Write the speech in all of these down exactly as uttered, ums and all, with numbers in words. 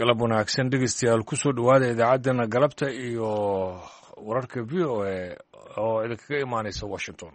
Galab wanaagsan, dhegeystayaal, kusoo dhowaada idaacaddeenna galabta iyo wararka V O A oo idinkaga imaanaysa Washington.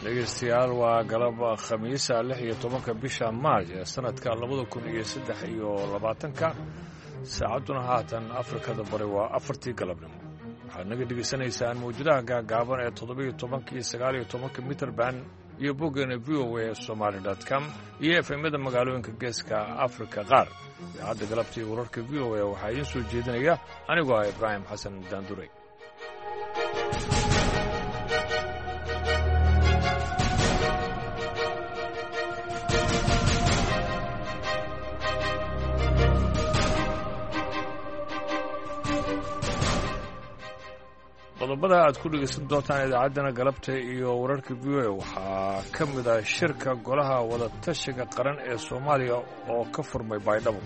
Dhegeystayaal, waa galab Khamiisa, lix iyo tobanka bisha Maarj ee sanadka labada kun iyo saddex iyo labaatanka. Saacadduna haatan Afrikada Bari waa afartii galabnimo. Waxaad naga dhegaysanaysaan mawjadaha gaagaaban ee toddobiyo tobanka iyo sagaal iyo tobanka mitrband iyo boggeena V O A Somaly dot com iyo efemyada magaalooyinka Geeska Afrika qaar. Idaacadda galabta iyo wararka V O A waxaa idiin soo jeedinaya anigoo ah Ibraahim Xasan Daanduray. Qodobada aad ku dhegeysan doontaan idaacaddana galabta iyo wararka V O A waxaa ka mid ah shirka golaha wadatashiga qaran ee Soomaaliya oo ka furmay Baydhabo.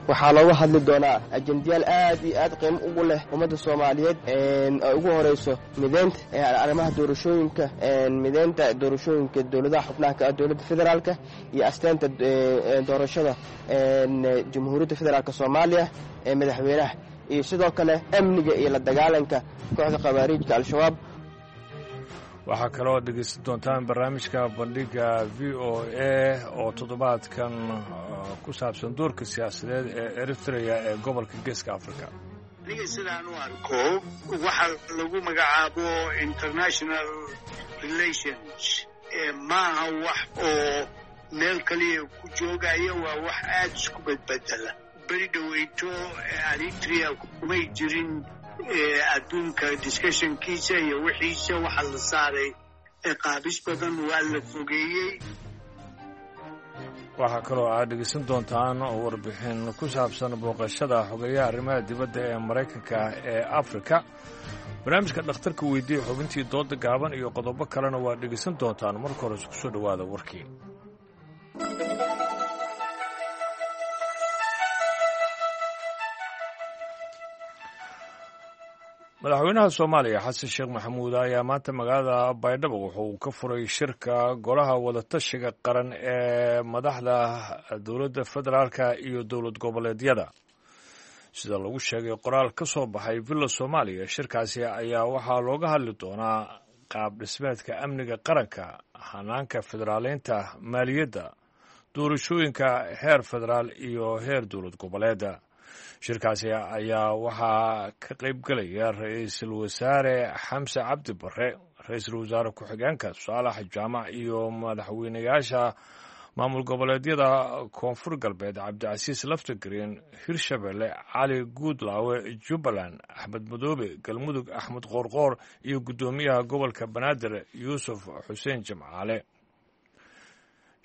Waxaa looga hadli doonaa ajendayaal aad iyo aad qiimo ugu leh ummadda Soomaaliyeed, ay ugu horeyso mideynta arrimaha doorashooyinka, mideynta doorashooyinka dowladaha xubnaha ka ah dowladda federaalka iyo asteenta doorashada Jamhuuriyadda Federaalka Soomaaliya ee madaxweynaha, iyo sidoo kale amniga iyo la dagaalanka kooxda khawaariijka Al-Shabaab. Waxaa kaloo dhegeysan doontaan barnaamijka bandhiga V O A oo toddobaadkan ku saabsan doorka siyaasadeed ee Eritrea ee gobolka Geeska Africa. Aniga sidaan u arko, waxa lagu magacaabo international relations maaha wax oo meel kaliya ku joogaya, waa wax aada isku bedbedela. Beri dhoweyto Eritrea kumay jirin adduunka discussionkiisa iyo wixiisa, waxaa la saaray qaabis badan, waa la fogeeyey. Waxaa kaloo aad dhegeysan doontaan warbixin ku saabsan booqashada xogeyaha arrimaha dibadda ee Maraykanka ee Afrika, barnaamijka dhakhtarka weydiiya, xubintii dooda gaaban iyo qodobo kalena waad dhegeysan doontaan. Marka hore isku soo dhowaada warkii. Madaxweynaha Soomaaliya Xasan Sheekh Maxamuud ayaa maanta magaalada Baydhabo wuxuu ka furay shirka golaha wadatashiga qaran ee madaxda dowladda federaalka iyo dowlad goboleedyada. Sida lagu sheegay qoraal ka soo baxay Villa Soomaaliya, shirkaasi ayaa waxaa looga hadli doonaa qaab dhismeedka amniga qaranka, hanaanka federaaleynta, maaliyadda, doorashooyinka heer federaal iyo heer dowlad goboleeda. Shirkaasi ayaa waxaa ka qayb gelaya ra-iisul wasaare Xamse Cabdi Barre, ra-iisul wasaare ku-xigeenka Saalax Jaamac iyo madaxweynayaasha maamul goboleedyada Koonfur Galbeed Cabdicasiis Laftagreen, Hirshabelle Cali Guudlaawe, Jubbaland Axmed Madoobe, Galmudug Axmed Qoorqoor iyo guddoomiyaha gobolka Banaadir Yuusuf Xuseen Jimcaale.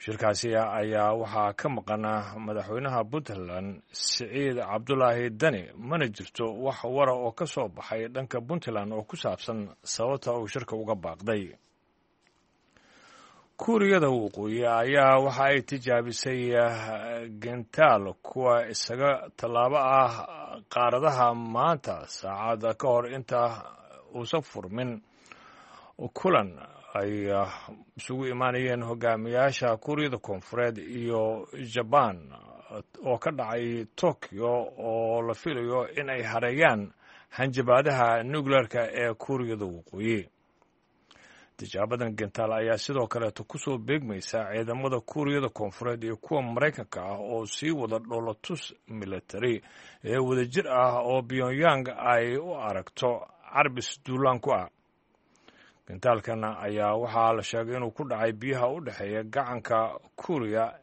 Shirkaasi ayaa waxaa ka maqan madaxweynaha Puntland Siciid Cabdulaahi Dani. Mana jirto wax wara oo ka soo baxay dhanka Puntland oo ku saabsan sababta uu shirka uga baaqday. Kuuriyada Waqooyi ayaa waxa ay tijaabisay gentaal kuwa isaga tallaabo ah qaaradaha maanta, saacada ka hor inta uusan furmin kulan ay isugu imaanayeen hogaamiyaasha Kuuriyada Koonfureed iyo Jabaan oo ka dhacay Tokyo, oo la filayo in ay hareeyaan hanjabaadaha nuclearka ee Kuuriyada Waqooyi. Tijaabadan gentaal ayaa sidoo kaleeto kusoo beegmaysa ciidamada Kuuriyada Koonfureed iyo kuwa Maraykanka ah oo sii wada dhoolatus military ee wadajir ah oo Pyongyang ay u aragto carbis duulaan ku ah. Gentaalkan ayaa waxaa la sheegay inuu ku dhacay biyaha u dhexeeya gacanka Kuuriya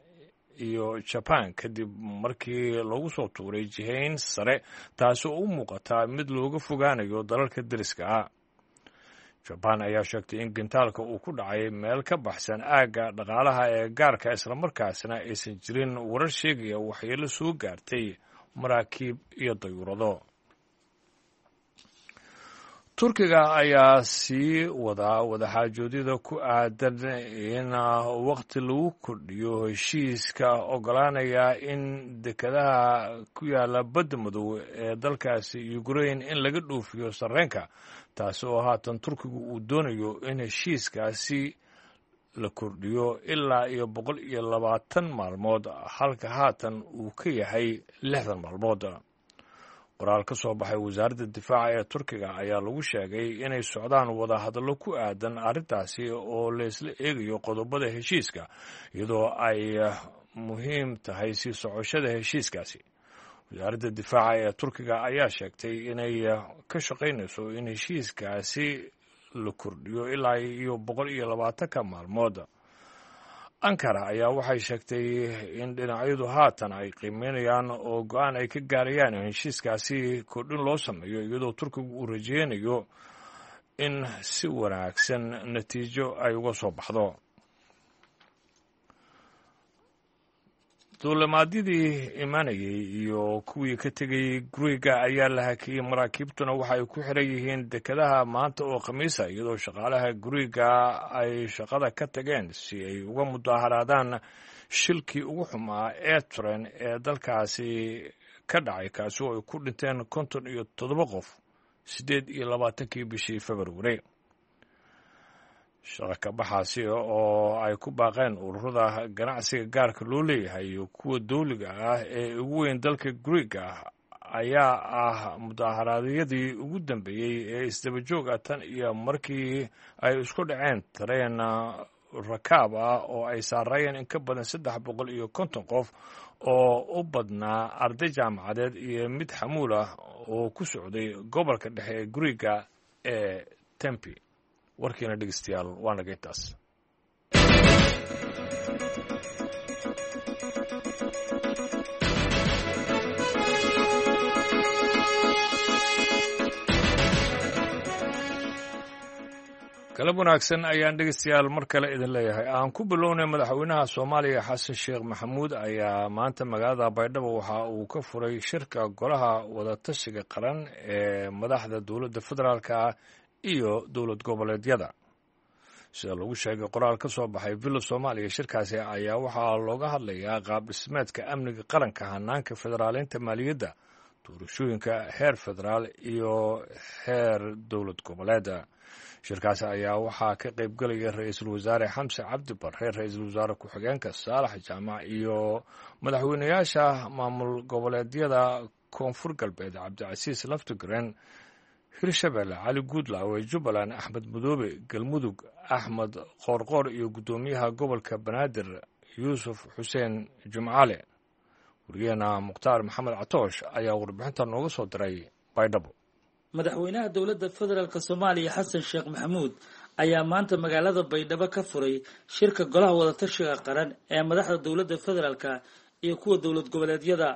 iyo Jaban kadib markii lagu soo tuuray jihayn sare, taasi oo u muuqata mid looga fogaanayo dalalka deriska ah. Jabaan ayaa sheegtay in gentaalka uu ku dhacay meel ka baxsan aagga dhaqaalaha ee gaarka, islamarkaasna aysan jirin warar sheegaya waxyeelo soo gaartay maraakiib iyo dayuurado. Turkiga ayaa sii wadaa wadaxaajoodyada ku aadan in waqti lagu kordhiyo heshiiska ogolaanaya in dekedaha ku yaala badda madow ee dalkaasi Ukrain in laga dhoofiyo sarreenka, taasi oo haatan Turkigu uu doonayo in heshiiskaasi la kordhiyo ilaa iyo boqol iyo labaatan maalmood, halka haatan uu ka yahay lixdan maalmood. Qoraal ka soo baxay wasaaradda difaaca ee Turkiga ayaa lagu sheegay inay socdaan wadahadallo ku aadan arrintaasi oo laysla eegayo qodobada heshiiska, iyadoo ay muhiim tahay sii socoshada heshiiskaasi. Wasaaradda difaaca ee Turkiga ayaa sheegtay inay ka shaqaynayso in heshiiskaasi la kordhiyo ilaa iyo boqol iyo labaatanka maalmood. Ankara ayaa waxay sheegtay in dhinacyadu haatan ay qiimeynayaan oo go-aan ay ka gaarayaan in heshiiskaasi kordhin loo sameeyo, iyadoo Turkigu uu rajeynayo in si wanaagsan natiijo ay uga soo baxdo. Duulimaadyadii imanayay iyo kuwii ka tegayey Guriga ayaa la hakiyey, maraakiibtuna waxa ay ku xiran yihiin dekedaha maanta oo Khamiisa, iyadoo shaqaalaha Guriga ay shaqada ka tageen si ay uga mudaaharaadaan shilkii ugu xumaa ee tren ee dalkaasi ka dhacay, kaasi oo ay ku dhinteen konton iyo toddoba qof siddeed iyo labaatankii bishii Februari. Shaqa ka baxaasi oo ay ku baaqeen ururada ganacsiga gaarka loo leeyahay iyo kuwa dowliga ah ee ugu weyn dalka Guriga ayaa ah mudaharaadyadii ugu dambeeyey ee isdaba joog ah tan iyo markii ay isku dhaceen tareen rakaab ah oo ay saarayeen in ka badan saddex boqol iyo konton qof oo u badnaa arday jaamacadeed iyo mid xamuul ah oo ku socday gobolka dhexe ee Guriga ee Tempi. Warkiina dhegeystayaal waa naga intaas. Galab wanaagsan ayaan dhegeystayaal mar kale idin leeyahay. Aan ku bilownay, madaxweynaha Soomaaliya Xasan Sheekh Maxamuud ayaa maanta magaalada Baydhabo waxa uu ka furay shirka golaha wadatashiga qaran ee madaxda dowladda federaalka iyo dowlad goboleedyada. Sida lagu sheegay qoraal ka soo baxay Villa Soomaaliya, shirkaasi ayaa waxaa looga hadlayaa qaab dhismeedka amniga qaranka, hanaanka federaaleynta maaliyadda, doorashooyinka heer federaal iyo heer dowlad goboleeda. Shirkaasi ayaa waxaa ka qaybgelaya ra-iisul wasaare Xamse Cabdi Barre, ra-iisul wasaare ku-xigeenka Saalax Jaamac iyo madaxweynayaasha maamul goboleedyada Koonfur Galbeed Cabdicasiis Laftigreen, Hirshabelle Cali Guudlaawe, Jubbaland Axmed Madoobe, Galmudug Axmed Qoorqoor iyo guddoomiyaha gobolka Banaadir Yuusuf Xuseen Jumcale. Wariyaheena Mukhtaar Maxamed Catoosh ayaa warbixinta nooga soo diray Baydhabo. Madaxweynaha dowladda federaalk Soomaaliya Xasan Sheekh Maxamuud ayaa maanta magaalada Baydhabo ka furay shirka golaha wadatashiga qaran ee madaxda dowladda federaalka iyo kuwa dowlad goboleedyada.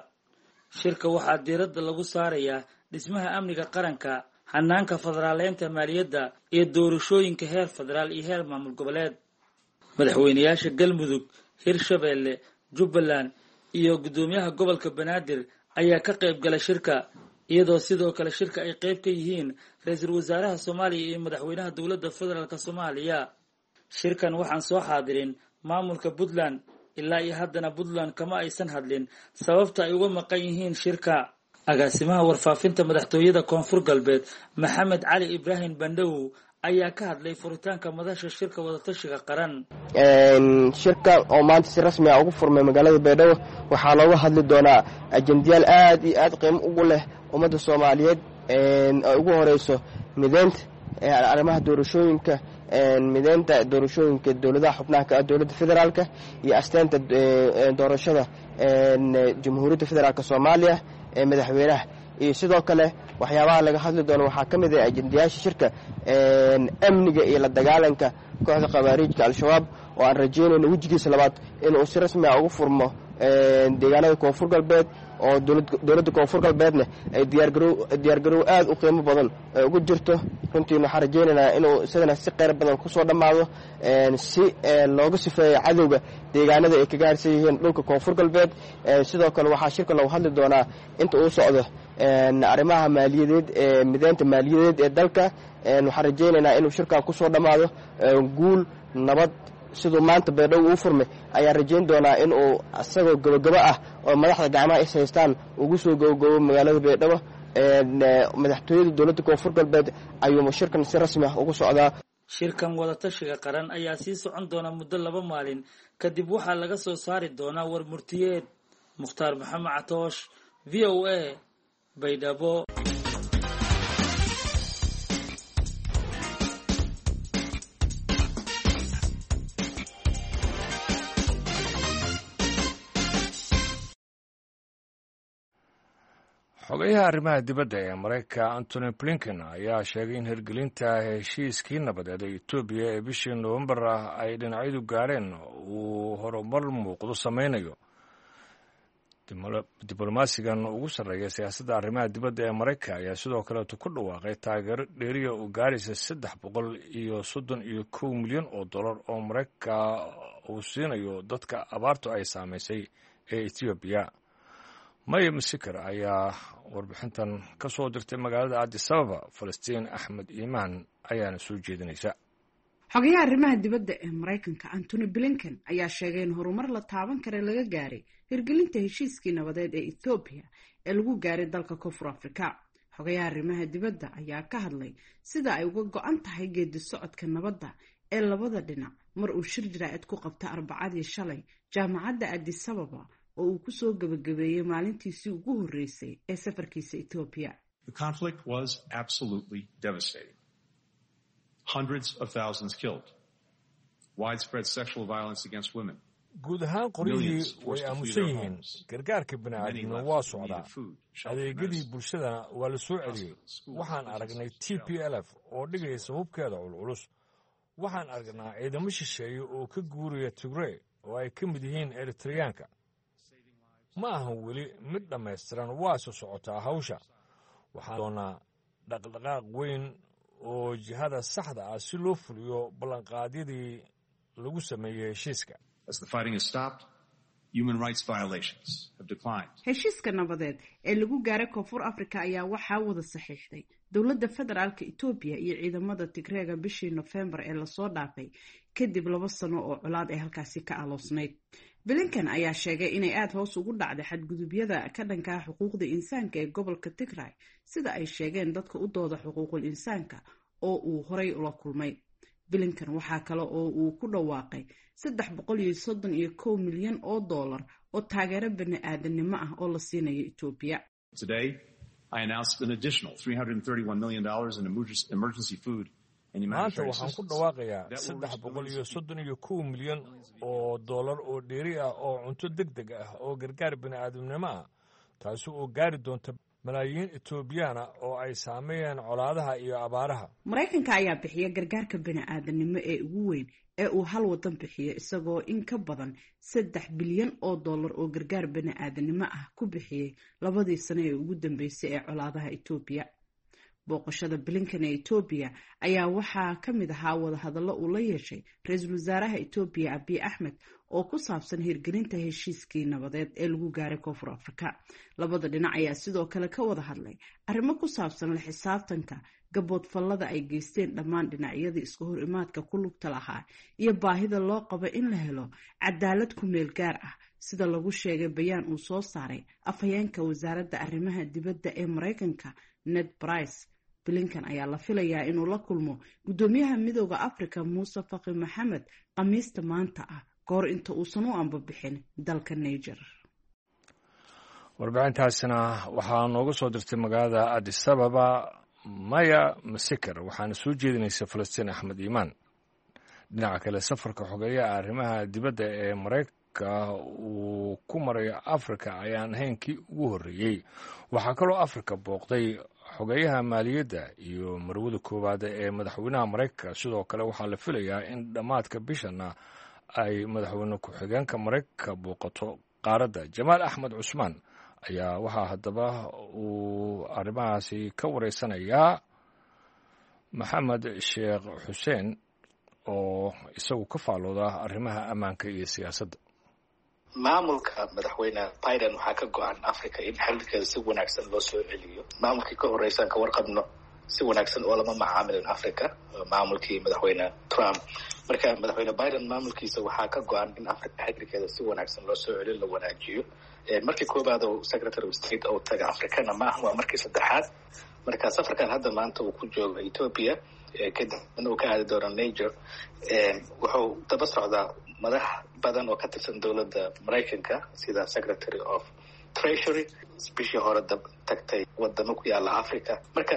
Shirka waxaa diiradda lagu saarayaa dhismaha amniga qaranka, hanaanka federaaleynta maaliyadda iyo doorashooyinka heer federaal iyo heer maamul goboleed. Madaxweynayaasha Galmudug, Hirshabelle, Jubbaland iyo guddoomiyaha gobolka Banaadir ayaa ka qayb galay shirka, iyadoo sidoo kale shirka ay qayb ka yihiin ra-iisul wasaaraha Soomaaliya iyo madaxweynaha dowladda federaalk Soomaaliya. Shirkan waxaan soo xaadirin maamulka Puntland, ilaa iyo haddana Puntland kama aysan hadlin sababta ay uga maqan yihiin shirka. Agaasimaha warfaafinta madaxtooyada Koonfur Galbeed Maxamed Cali Ibraahim Bandhawow ayaa ka hadlay furitaanka madasha shirka wadatashiga qaran. Shirka oo maanta si rasmi ah ugu furmay magaalada Baydhabo waxaa looga hadli doonaa ajendayaal aad iyo aad qiimo ugu leh ummadda Soomaaliyeed, ay ugu horeyso mideynta arrimaha doorashooyinka, mideynta doorashooyinka dowladaha xubnaha ka ah dowladda federaalka iyo asteynta doorashada Jamhuuriyadda Federaalk Soomaaliya ee madaxweynaha. Iyo sidoo kale waxyaabaha laga hadli doono waxaa ka mid ah ajendayaasha shirka amniga iyo la dagaalanka kooxda khawaariijka Al-Shabaab, oo aan rajeynayno wejigiisa labaad inuu si rasmi ah ugu furmo deegaanada Koonfur Galbeed oo dowladda Koonfur Galbeedna ay diyaargarow diyaargarow aad u qiimo badan ugu jirto. Runtiina waxaan rajaynaynaa inuu isagana si qeyr badan kusoo dhammaado, si looga sifeeyo cadowga deegaanada ay kaga harsan yihiin dhulka Koonfur Galbeed. Sidoo kale waxaa shirka loogu hadli doonaa inta uu socdo arrimaha maaliyadeed ee mideynta maaliyadeed ee dalka. Waxaan rajaynaynaa inuu shirkan kusoo dhammaado guul nabad. Siduu maanta Baydhabo uu furmay ayaan rajayn doonaa in uu isagoo gabogabo ah oo madaxda gacmaha is haystaan ugu soo gabogabo magaalada Baydhabo. Madaxtooyada dowladda Koonfur Galbeed ayuu shirkan si rasmi ah ugu socdaa. Shirkan wadatashiga qaran ayaa sii socon doona muddo laba maalin kadib waxaa laga soo saari doonaa war murtiyeed. Mukhtaar Maxamed Catoosh, V O A, Baydhabo. Xogayaha arrimaha dibadda ee Maraykanka Antony Blinken ayaa sheegay in hirgelinta heshiiskii nabadeed ee Etoobiya ee bishii Noofembar ah ay dhinacyadu gaareen uu horumar muuqdo sameynayo. Diblomaasigan ugu sarreeya siyaasadda arrimaha dibadda ee Maraykanka ayaa sidoo kaleeto ku dhawaaqay taageero dheeriya oo gaaraysa saddex boqol iyo soddon iyo kow milyan oo dollar oo Maraykanka uu siinayo dadka abaartu ay saameysay ee Etoobiya. Maya Masiker ayaa warbixintan ka soo dirtay magaalada Addis Ababa. Falastiin Axmed Iimaan ayaana soo jeedinaysa. Xogayaha arrimaha dibadda ee Maraykanka Antony Blinken ayaa sheegay in horumar la taaban kara laga gaaray hirgelinta heshiiskii nabadeed ee Ethoobiya ee lagu gaaray dalka Koonfur Afrika. Xogayaha arrimaha dibadda ayaa ka hadlay sida ay uga go-an tahay geedi socodka nabadda ee labada dhinac mar uu shir jaraa'id ku qabta Arbacadii shalay jaamacadda Addis Ababa oo uu kusoo gabagabeeyey maalintiisii ugu horreysay ee safarkiisa Etoobiya. The conflict was absolutely devastating. Hundreds of thousands killed. Widespread sexual violence against women. Guud ahaan qoryihii way aamusan yihiin. Gargaarka bini'aadamna waa socdaa. Adeegyadii bulshadana waa la soo celiyey. Waxaan aragnay T P L F oo dhigaysa hubkeeda culculus. Waxaan aragnaa ciidamo shisheeye oo ka guuraya Tigrey oo ay ka mid yihiin Eritreyaanka. Ma ahan weli mid dhammaystiran, waase socotaa hawsha. Waxaan doonaa dhaqdhaqaaq weyn oo jihada saxda ah si loo fuliyo ballanqaadyadii lagu sameeyey heshiiska. Heshiiska nabadeed ee lagu gaaray Koonfur Afrika ayaa waxaa wada saxiixday dowladda federaalka Etoobiya iyo ciidamada Tigreega bishii Nofembar ee lasoo dhaafay kadib laba sano oo colaad ee halkaasi ka aloosnayd. Blinken ayaa sheegay inay aada hoos ugu dhacday xadgudubyada ka dhankaa xuquuqda insaanka ee gobolka Tigray, sida ay sheegeen dadka u dooda xuquuqul insaanka oo uu horay ula kulmay. Blinken waxaa kale oo uu ku dhawaaqay saddex boqol iyo soddon iyo kow milyan oo dollar oo taageero bani-aadanimo ah oo la siinayo Etoobiya. Maanta waxaan ku dhawaaqayaa saddex boqol iyo soddon iyo kow milyan oo dollar oo dheeri ah oo cunto deg deg ah oo gargaar bini'aadamnimo ah, taasi oo gaari doonta malaayiin Etoobiyaana oo ay saameeyeen colaadaha iyo abaaraha. Maraykanka ayaa bixiya gargaarka bini'aadanimo ee ugu weyn ee uu hal wadan bixiyo, isagoo in ka badan saddex bilyan oo dollar oo gargaar bini'aadanimo ah ku bixiyey labadii sano ee ugu dambeysay ee colaadaha Etoobiya. Booqashada Blinken ee Etoobiya ayaa waxaa ka mid ahaa wadahadallo uu la yeeshay ra-iisul wasaaraha Etoobiya Abiy Axmed oo ku saabsan hirgelinta heshiiskii nabadeed ee lagu gaaray Koonfur Afrika. Labada dhinac ayaa sidoo kale ka wada hadlay arrimo ku saabsan la xisaabtanka gaboodfallada ay geysteen dhammaan dhinacyadii iska hor imaadka ku lugta lahaa iyo baahida loo qabo in la helo cadaalad ku meel gaar ah, sida lagu sheegay bayaan uu soo saaray afhayeenka wasaaradda arrimaha dibadda ee Maraykanka Ned Price. Blinken ayaa la filayaa inuu la kulmo guddoomiyaha Midooda Afrika Muuse Faqi Maxamed Khamiista maanta ah kahor inta uusan u ambabixin dalka Niger. Warbixintaasina waxaa nooga soo dirtay magaalada Addis Ababa Maya Masiker, waxaana soo jeedinaysa Falastiin Axmed Iimaan. Dhinaca kale, safarka xogeeyaha arrimaha dibadda ee Maraykanka uu ku marayo Afrika ayaan ahayn kii ugu horreeyey. Waxaa kaloo Afrika booqday xogeeyaha maaliyadda iyo marwada koowaad ee madaxweynaha Maraykanka. Sidoo kale waxaa la filayaa in dhammaadka bishana ay madaxweyne ku-xigeenka Maraykanka booqato qaaradda. Jamaal Axmed Cusmaan ayaa waxaa haddaba uu arrimahaasi ka wareysanayaa Maxamed Sheekh Xuseen oo isagu ka faalooda arrimaha ammaanka iyo siyaasadda. Maamulka madaxweyne Biden waxaa ka go-an Africa in xiriirkeeda si wanaagsan loo soo celiyo. Maamulkii ka horreysaan ka warqabno si wanaagsan oo lama macaamilin Africa, maamulkii madaxweyne Trump. Marka madaxweyne Biden maamulkiisa waxaa ka go-an in Africa xiriirkeeda si wanaagsan loo soo celiyo, la wanaajiyo. Markii koobaad oo Secretary of State oo taga Africana maaha, waa markii saddexaad. Marka safarkan hadda maanta uu ku joogo Ethiopia, kadibna uu ka aadi doono Niger, wuxuu daba socdaa madax badan oo ka tirsan dowladda Maraykanka sida Secretary of Treasury bishii hore tagtay wadamo ku yaala Africa. Marka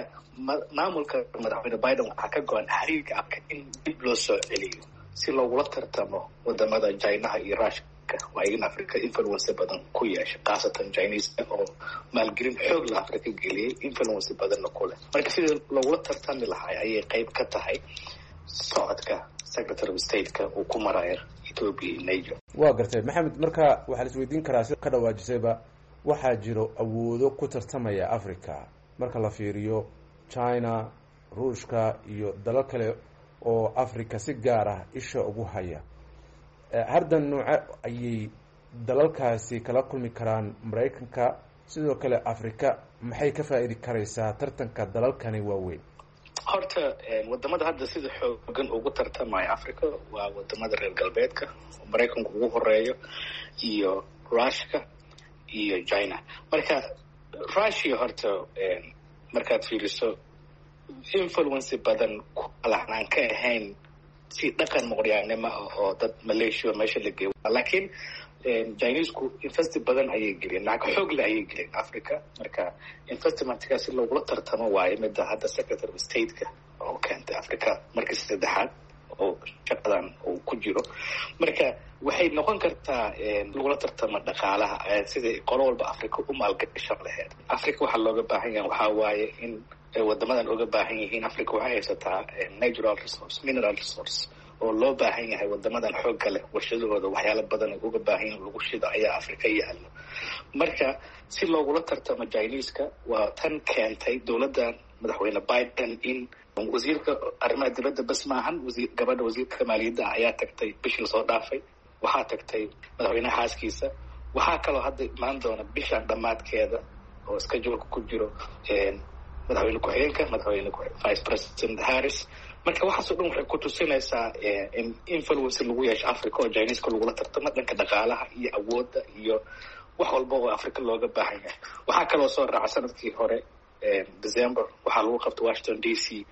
maamulka madaxweyne Biden waxaa ka go-an xiriirka Africa in dib loo soo celiyo si loogula tartamo wadamada Chinaha iyo Rushka, waa in Africa influence badan ku yeesha, khaasatan Chinese oo maalgelin xoog la Africa geliyay, influence badanna ku leh. Marka sidii loogula tartami lahay ayay qayb ka tahay socodka Secretary of State-ka uu ku marayo Ethiopia iyo Niger. Waa gartay Maxamed. Marka waxaa la isweydiin karaa, si ka dhawaajisayba, waxaa jiro awoodo ku tartamaya Africa marka la fiiriyo China, Ruushka iyo dalal kale oo Africa si gaar ah isha ugu haya. Hardan nooce ayay dalalkaasi kala kulmi karaan Maraykanka? Sidoo kale Africa maxay ka faa-iidi karaysaa tartanka dalalkani waaweyn? Horta wadamada hadda sida xoogan ugu tartamaya Africa waa wadamada reer galbeedka, Maraykanku ugu horeeyo, iyo Rushka iyo China. Marka Russia horta markaad fiiriso influence badan kualaxnaan ka ahayn si dhaqan muqoryaanimo ah oo dad Malaysia meesha la geeyo, laakiin Chinesku investi badan ayay geliyeen, lacag xoog leh ayay geliyeen Africa. Marka investmentka si loogula tartamo waayo midda hadda Secretary of State-ka oo keentay Africa markii saddexaad oo shaqadan uu ku jiro. Marka waxay noqon kartaa lagula tartamo dhaqaalaha, sidai qolo walba Africa u maalgashan laheyd. Africa waxaa looga baahan yahay waxaa waaye in wadamadan uga baahan yihiin, Africa waxay haysataa natural resource, mineral resource oo loo baahan yahay wadamadan xoogga leh warshadahooda, waxyaalo badan ay uga baahan yihin lagu shido ayaa Africa yaalo. Marka si loogula tartamo Chineska waa tan keentay dowladdan madaxweyne Biden in wasiirka arrimaha dibadda bas maahan, wasiir gabadha wasiirka maaliyadda ah ayaa tagtay bishii lasoo dhaafay, waxaa tagtay madaxweynaha xaaskiisa, waxaa kaloo hadda imaan doona bishan dhammaadkeeda oo scheduleka ku jiro madaxweyne ku-xigeenka, madaxweyne Vice President Harris. Marka waxaasoo dhan waxay ku tusinaysaa in influence lagu yeesho Africa oo Chineska lagula tartamo dhanka dhaqaalaha iyo awoodda iyo wax walba oo Africa looga baahan yahay. Waxaa kaloo soo raaca sanadkii hore December waxaa lagu qabtay Washington D C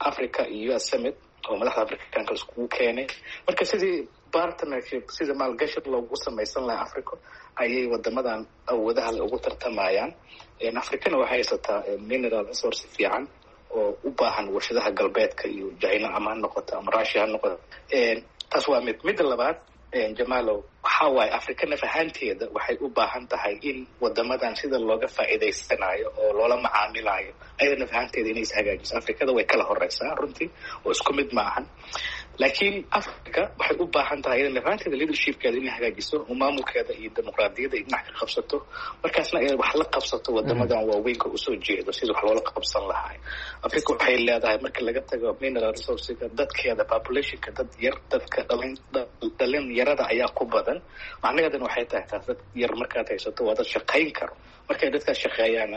Africa iyo U S Summit oo madaxda Africanka iskugu keenay. Marka sidii partnership, sida maalgashi loogu samaysan lahaa Africa ayay wadamadan awoodaha le ugu tartamayaan. Africana waxay haysataa mineral resource fiican oo u baahan warshadaha galbeedka iyo China ama ha noqoto ama Russia ha noqoto. Taas waa mid. Midda labaad, Jamalow, waxaa waaye Africa naf ahaanteeda waxay u baahan tahay in wadamadan sida looga faa'iidaysanayo oo loola macaamilayo ayada naf ahaanteeda inay is hagaajiso. Afrikada way kala horeysaa runtii oo isku mid ma ahan, laakiin Africa waxay u baahan tahay ayada naf ahaanteeda leadershipkeeda inay hagaajiso oo maamulkeeda iyo dimuqraadiyadda ay dhinac ka qabsato, markaasna ay wax la qabsato wadamadan waaweynka usoo jeedo sida wax loola qabsan lahaa. Africa waxay leedahay marka laga tago mineral resourcega, dadkeeda populationka dad yar, dadka dhalin dhalin yarada ayaa ku badan. Macnaheedana waxay tahay taas dad yar markaad haysato waa dad shaqayn karo. Markay dadkaas shaqeeyaan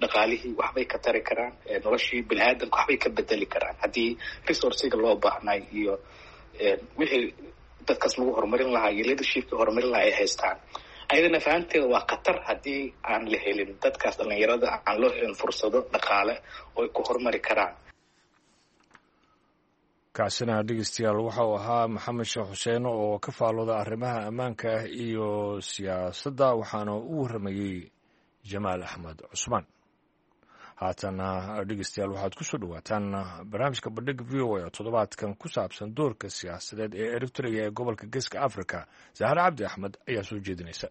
dhaqaalihii waxbay ka tari karaan, noloshii bini aadamka waxbay ka bedeli karaan haddii resourciga loo baahnay iyo wixii dadkaas lagu horumarin lahaa iyo leadershipka horumarin lahaa ay haystaan. Ayadana fahanteeda waa khatar haddii aan la helin dadkaas dhalinyarada, aan loo helin fursado dhaqaale oo ay ku horumari karaan. Kaasina dhegeystayaal waxa uu ahaa Maxamed Sheekh Xuseen oo ka faalooda arrimaha ammaanka iyo siyaasadda, waxaana u warramayey Jamaal Axmed Cusmaan. Haatana dhegeystayaal waxaad ku soo dhowaataan barnaamijka Bandhig V O A oo toddobaadkan ku saabsan doorka siyaasadeed ee Eritrea ee gobolka Geeska Africa. Zahar Cabdi Axmed ayaa soo jeedinaysa.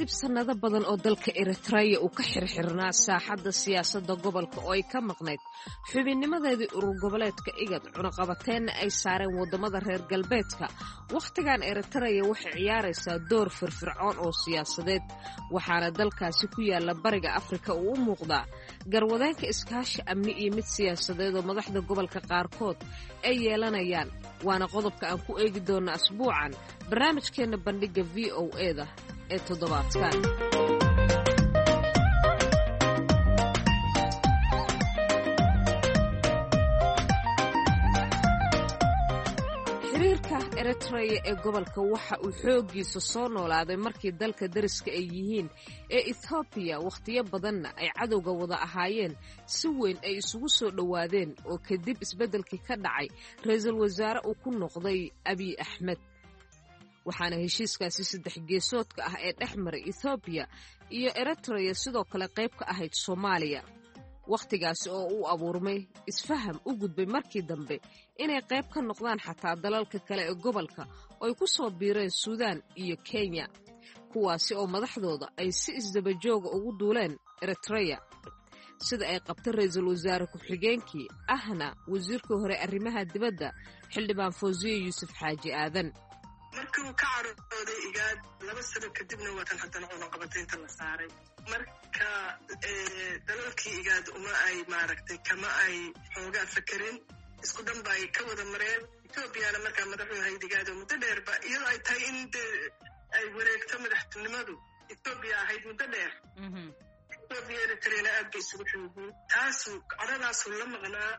Kadib sannado badan oo dalka Eritreya uu ka xirxirnaa saaxadda siyaasadda gobolka oo ay ka maqnayd xubinnimadeedii urur goboleedka IGAD, cunaqabateenna ay saareen waddamada reer galbeedka, wakhtigan Eritreya waxay ciyaaraysaa door firfircoon oo siyaasadeed, waxaana dalkaasi ku yaala bariga Afrika uu u muuqdaa garwadeenka iskaashi amni iyo mid siyaasadeed oo madaxda gobolka qaarkood ay yeelanayaan. Waana qodobka aan ku eegi doonna asbuucan barnaamijkeenna bandhigga V O E da ee toddobaadkan. Xiriirka Eritreya ee gobolka waxa uu xooggiisa soo noolaaday markii dalka dariska ay yihiin ee Ethoobiya, wakhtiyo badanna ay cadowga wada ahaayeen, si weyn ay isugu soo dhowaadeen oo kadib isbeddelkii ka dhacay ra-iisul wasaare uu ku noqday Abiy Axmed. Waxaana heshiiskaasi saddex geesoodka ah ee dhex maray Ethoobiya iyo Eritreya sidoo kale qayb ka ahayd Soomaaliya, wakhtigaasi oo uu abuurmay isfaham u gudbay markii dambe inay qayb ka noqdaan xataa dalalka kale ee gobolka oo ay ku soo biireen Suudaan iyo Kenya, kuwaasi oo madaxdooda ay si isdabajooga ugu duuleen Eritreya, sida ay qabtay ra-iisul wasaare ku-xigeenkii ahna wasiirkii hore arrimaha dibadda, xildhibaan Fawsiye Yuusuf Xaaji Aadan. Markii uu ka carooday IGAD laba sano kadibna waatan haddana cunaqabataynta la saaray. Marka dalalkii IGAD uma ay maaragtay kama ay xoogaa fakerin, isku dhan ba ay ka wada mareen. Etoobiyana markaa madaxuu ahayd IGAD oo muddo dheerba iyadoo ay tahay in dee ay wareegto madaxtinimadu Etoobiya ahayd muddo dheer. Etoobiya Eritreana aad bay isugu xun yihiin. Taasuu caradaasuu la maqnaa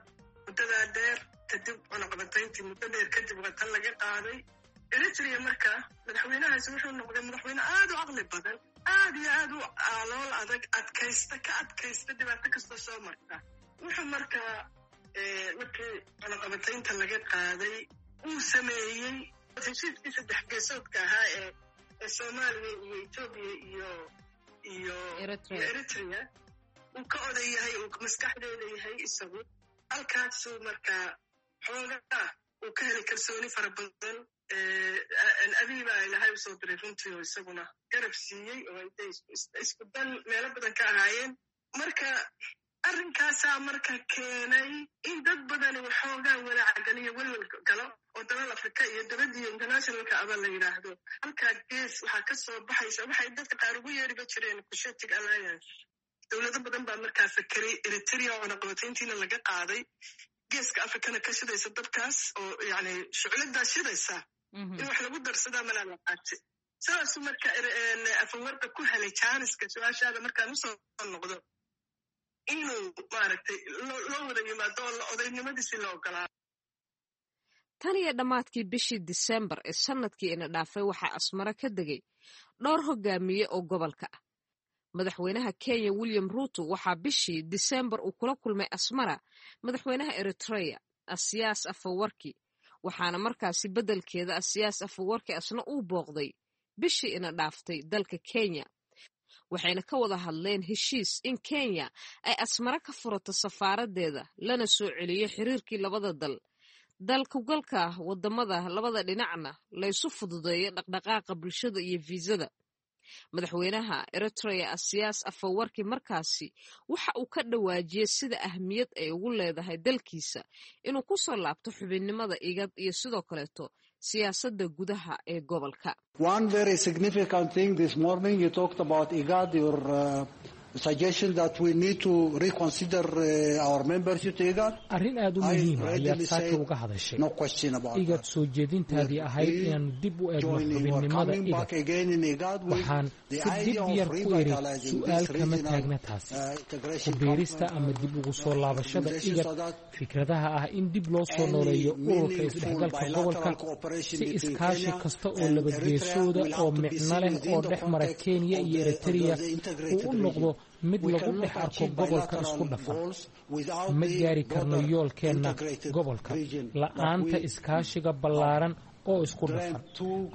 muddadaa dheer. Kadib cunaqabatayntii muddo dheer kadib waa tan laga qaaday Eritrea. Marka madaxweynahaasi wuxuu noqday madaxweyne aad u caqli badan, aad iyo aad u aalool adag, adkaysta, ka adkaysta dhibaato kastoo soo marta. Wuxuu markaa markii cunaqabataynta laga qaaday uu sameeyey heshiiskii saddex geesoodka ahaa ee ee Soomaaliya iyo Etoobiya iyo iyo iyo Eritrea uu ka oday yahay, uu maskaxdeeda yahay isagu. Halkaasuu markaa xoogaa uu ka helay kalsooni fara badan. Abiy baa Ilahay usoo diray runtii oo isaguna garab siiyey oo ay isku dan meelo badan ka ahaayeen. Marka arrinkaasaa marka keenay in dad badani waxoogaa walaacgaliyo, welwel galo oo dalal Afrika iyo dabadiyo internationalka aba la yidhaahdo halkaa gees waxaa ka soo baxaysa waxay dadka qaar ugu yeeriba jireen Cushitic Alliance. Dowlado badan baa markaa fakeray, Eritrea oo cunaqabatayntiina laga qaaday, geeska Afrikana ka shidaysa dabkaas oo yani shucladaa shidaysa in wax lagu darsadaa malaa la qaati. Sidaasuu marka Afawarqa ku helay jaaniska. Su-aashaada markaan usoo noqdo, inuu maaragtay loo wada yimaado oo odaynimadiisii la ogolaa. Tan iyo dhammaadkii bishii Disembar ee sannadkii ina dhaafay waxaa Asmaro ka degay dhowr hogaamiye oo gobolka ah. Madaxweynaha Kenya William Ruto waxaa bishii Disembar uu kula kulmay Asmara madaxweynaha Eritreya Asiyaas Afawarki, waxaana markaasi beddelkeeda Asiyaas Afawarki asna uu booqday bishii ina dhaaftay dalka Kenya, waxayna ka wada hadleen heshiis in Kenya ay Asmara ka furato safaaraddeeda lana soo celiyo xiriirkii labada dal, dalkugalka wadamada labada dhinacna laysu fududeeyo dhaqdhaqaaqa bulshada iyo fiisada. Madaxweynaha Eritrea Asiyaas Afawarki markaasi waxa uu ka dhawaajiyey sida ahmiyad ay ugu leedahay dalkiisa inuu ku soo laabto xubinnimada IGAD iyo sidoo kaleeto siyaasadda gudaha ee gobolka. One very significant thing this morning, you talked about IGAD, your uh, suggestion that we need to reconsider uh, our membership to IGAD. Arrin aad u muhiima ayaad saaka uga hadashay IGAD, soo jeedintaadii ahayd inaannu dib u eegno xubinnimada IGAD. Waxaan si dib yar ku idhi, su'aal kama taagna taasi, ku biirista ama dib ugu soo laabashada IGAD, fikradaha ah in dib loo soo nooleeyo ururka isdhexgalka gobolka si iskaashi kasta oo labageesooda oo micno leh oo dhex mara Kenya iyo Eritrea uu u noqdo mid lagu dhex arko gobolka isku dhafan. Ma gaari karno yoolkeenna gobolka la'aanta iskaashiga ballaaran oo isku dhafan.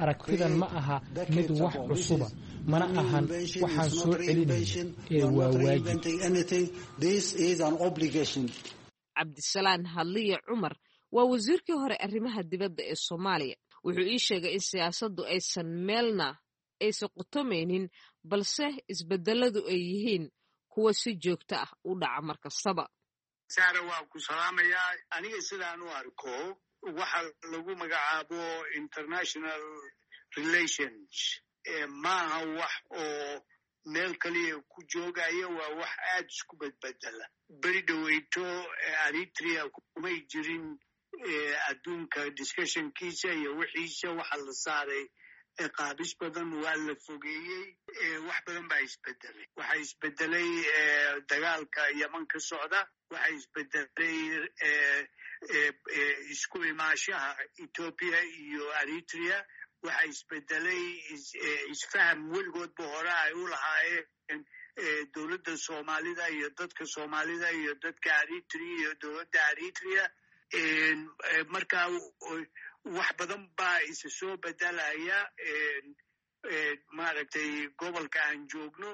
Aragtidan ma aha mid wax cusuba, mana ahan waxaan soo celinayno ee waa waajib. Cabdisalaan Hadliye Cumar waa wasiirkii hore arrimaha dibadda ee Soomaaliya. Wuxuu ii sheegay in siyaasaddu aysan meelna aysan qotomaynin, balse isbedeladu ay yihiin kuwa si joogto ah u dhaca mar kastaba. Saara, waa ku salaamayaa. Aniga sidaan u arko, waxa lagu magacaabo international relations maaha wax oo meel kaliya ku joogaya, waa wax aad isku bedbedela. Beri dhoweyto Eritrea kumay jirin adduunka discussionkiisa iyo wixiisa. Waxa la saaray qaabis badan, waa la fogeeyey. Wax badan baa isbedelay. Waxaa isbedelay dagaalka Yeman ka socda, waxaa isbedelay isku imaashaha Ethiopia iyo Eritrea, waxaa isbedelay isfaham weligoodba hore ay u lahaayeen dowladda Soomaalida iyo dadka Soomaalida iyo dadka Eritrea iyo dowladda Eritrea. Marka wax badan baa isa soo bedelaya. Maaragtay, gobolka aan joogno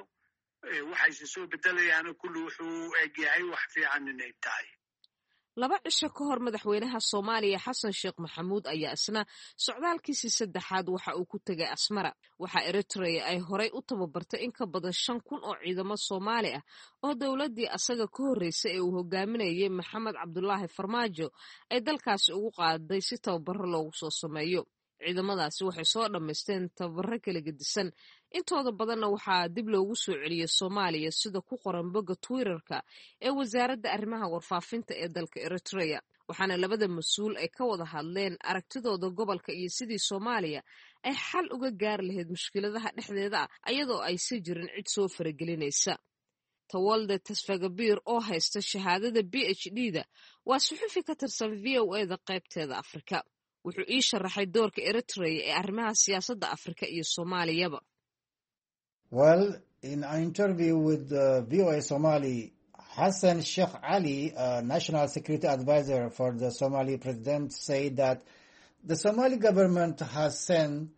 waxa isa soo bedelayaana kulli wuxuu u egyahay wax fiican inay tahay. Laba cisho ka hor, madaxweynaha Soomaaliya Xasan Sheekh Maxamuud ayaa isna socdaalkiisii saddexaad waxa uu ku tegay Asmara. Waxaa Eritrea ay horey u tababartay in ka badan shan kun oo ciidamo Soomaali ah oo dowladdii asaga ka horreysay ee uu hogaaminayay Maxamed Cabdulaahi Farmaajo ay dalkaasi ugu qaaday si tababaro loogu soo sameeyo. Ciidamadaasi waxay soo dhammaysteen tababaro kala gedisan, intooda badanna waxaa dib loogu soo celiyey Soomaaliya, sida ku qoran bogga Twitterka ee wasaaradda arrimaha warfaafinta ee dalka Eritrea. Waxaana labada mas-uul ay ka wada hadleen aragtidooda gobolka iyo sidii Soomaaliya ay xal uga gaari lahayd mushkiladaha dhexdeeda ah, ayadoo aysan jirin cid soo faragelinaysa. Tawalde Tasfagabiir oo haysta shahaadada P H D da waa suxufi ka tirsan V O A da qaybteeda Afrika. Wuxuu ii sharaxay doorka Eritrea ee arrimaha siyaasadda Afrika iyo Soomaaliyaba. Well, in an interview with uh, V O A Somali, Hassan Sheikh Ali, uh, National Security Advisor for the Somali president, said that the Somali government has sent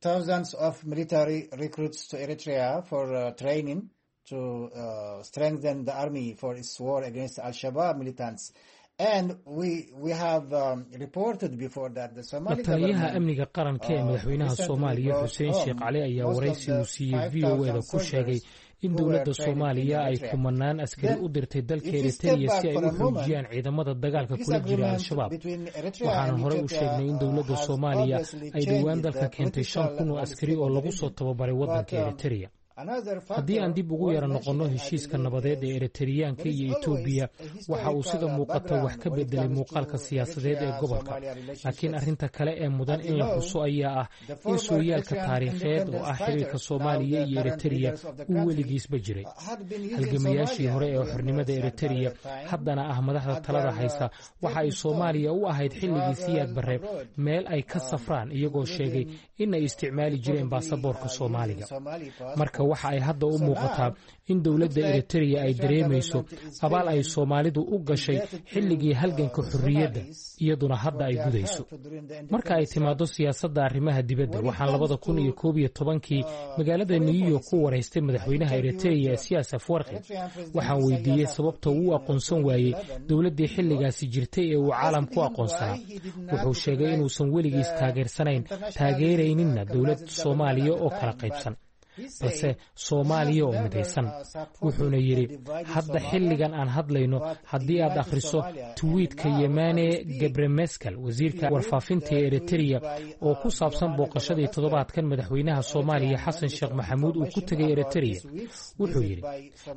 thousands of military recruits to Eritrea for uh, training to uh, strengthen the army for its war against Al-Shabaab militants. And we, we have um, reported before that the Somali La taliyaha amniga qaranka ee madaxweynaha Soomaaliya Xuseen Sheekh Cali ayaa waraysi uu siiyey V O A da ku sheegay in dowladda Soomaaliya ay kumanaan askari u dirtay dalka Eritrea si ay u xoojiyaan ciidamada dagaalka kula jira Al-Shabaab. Waxaana horey u sheegnay in dowladda Soomaaliya ay dhowaan dalka keentay shan kun oo askari oo lagu soo tababaray waddanka Eritrea. Haddii aan dib ugu yara noqonno heshiiska nabadeed ee Eritriyaanka iyo Etoobiya, waxa uu sida muuqata wax ka bedelay muuqaalka siyaasadeed ee gobolka. Laakiin arrinta kale ee mudan in la xuso ayaa ah in sooyaalka taariikheed oo ah xiriirka Soomaaliya iyo Eritereya uu weligiisba jiray. Halgamayaashii hore ee xornimada Eritereya, haddana ah madaxda talada haysa, waxa ay Soomaaliya u ahayd xilligii Siyaad Barre meel ay ka safraan, iyagoo sheegay in ay isticmaali jireen baasaboorka Soomaaliga. Marka waxa ay hadda u muuqataa in dowladda Eritereya ay dareemayso abaal ay Soomaalidu u gashay xilligii halganka xorriyadda, iyaduna hadda ay gudayso. Marka ay timaaddo siyaasadda arrimaha dibadda, waxaan labada kun iyo koob iyo tobankii magaalada New York ku waraystay madaxweynaha Eritereya Siyaas Afwarqi. Waxaan weydiiyey sababta uu aqoonsan waayey dowladdii xilligaasi jirtay ee uu caalam ku aqoonsanaa. Wuxuu sheegay inuusan weligiis taageersanayn, taageerayninna dowlad Soomaaliya oo kala qaybsan, balse Soomaaliya oo midaysan. Wuxuuna yidhi, hadda xilligan aan hadlayno, haddii aad akhriso tweetka Yemane Gebremeskel, wasiirka warfaafinta ee Eritereya, oo ku saabsan booqashadii toddobaadkan madaxweynaha Soomaaliya Xasan Sheekh Maxamuud uu ku tegay Eritereya, wuxuu yidhi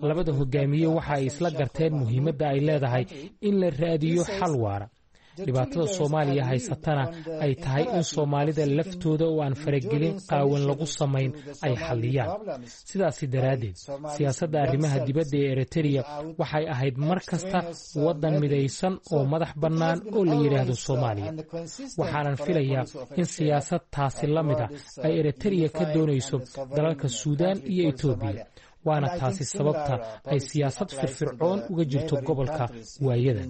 labada hogaamiye waxa ay isla garteen muhiimadda ay leedahay in la raadiyo xal waara, dhibaatada Soomaaliya haysatana ay tahay in Soomaalida laftooda oo aan faragelin qaawan lagu samayn ay xalliyaan. Sidaasi daraaddeed, siyaasadda arrimaha dibadda ee Eritereya waxay ahayd mar kasta waddan midaysan oo madax bannaan oo la yidhaahdo Soomaaliya. Waxaanan filayaa in siyaasad taasi la mid a ay Eritereya ka doonayso dalalka Suudaan iyo Etoobiya, waana taasi sababta ay siyaasad firfircoon uga jirto gobolka waayadan.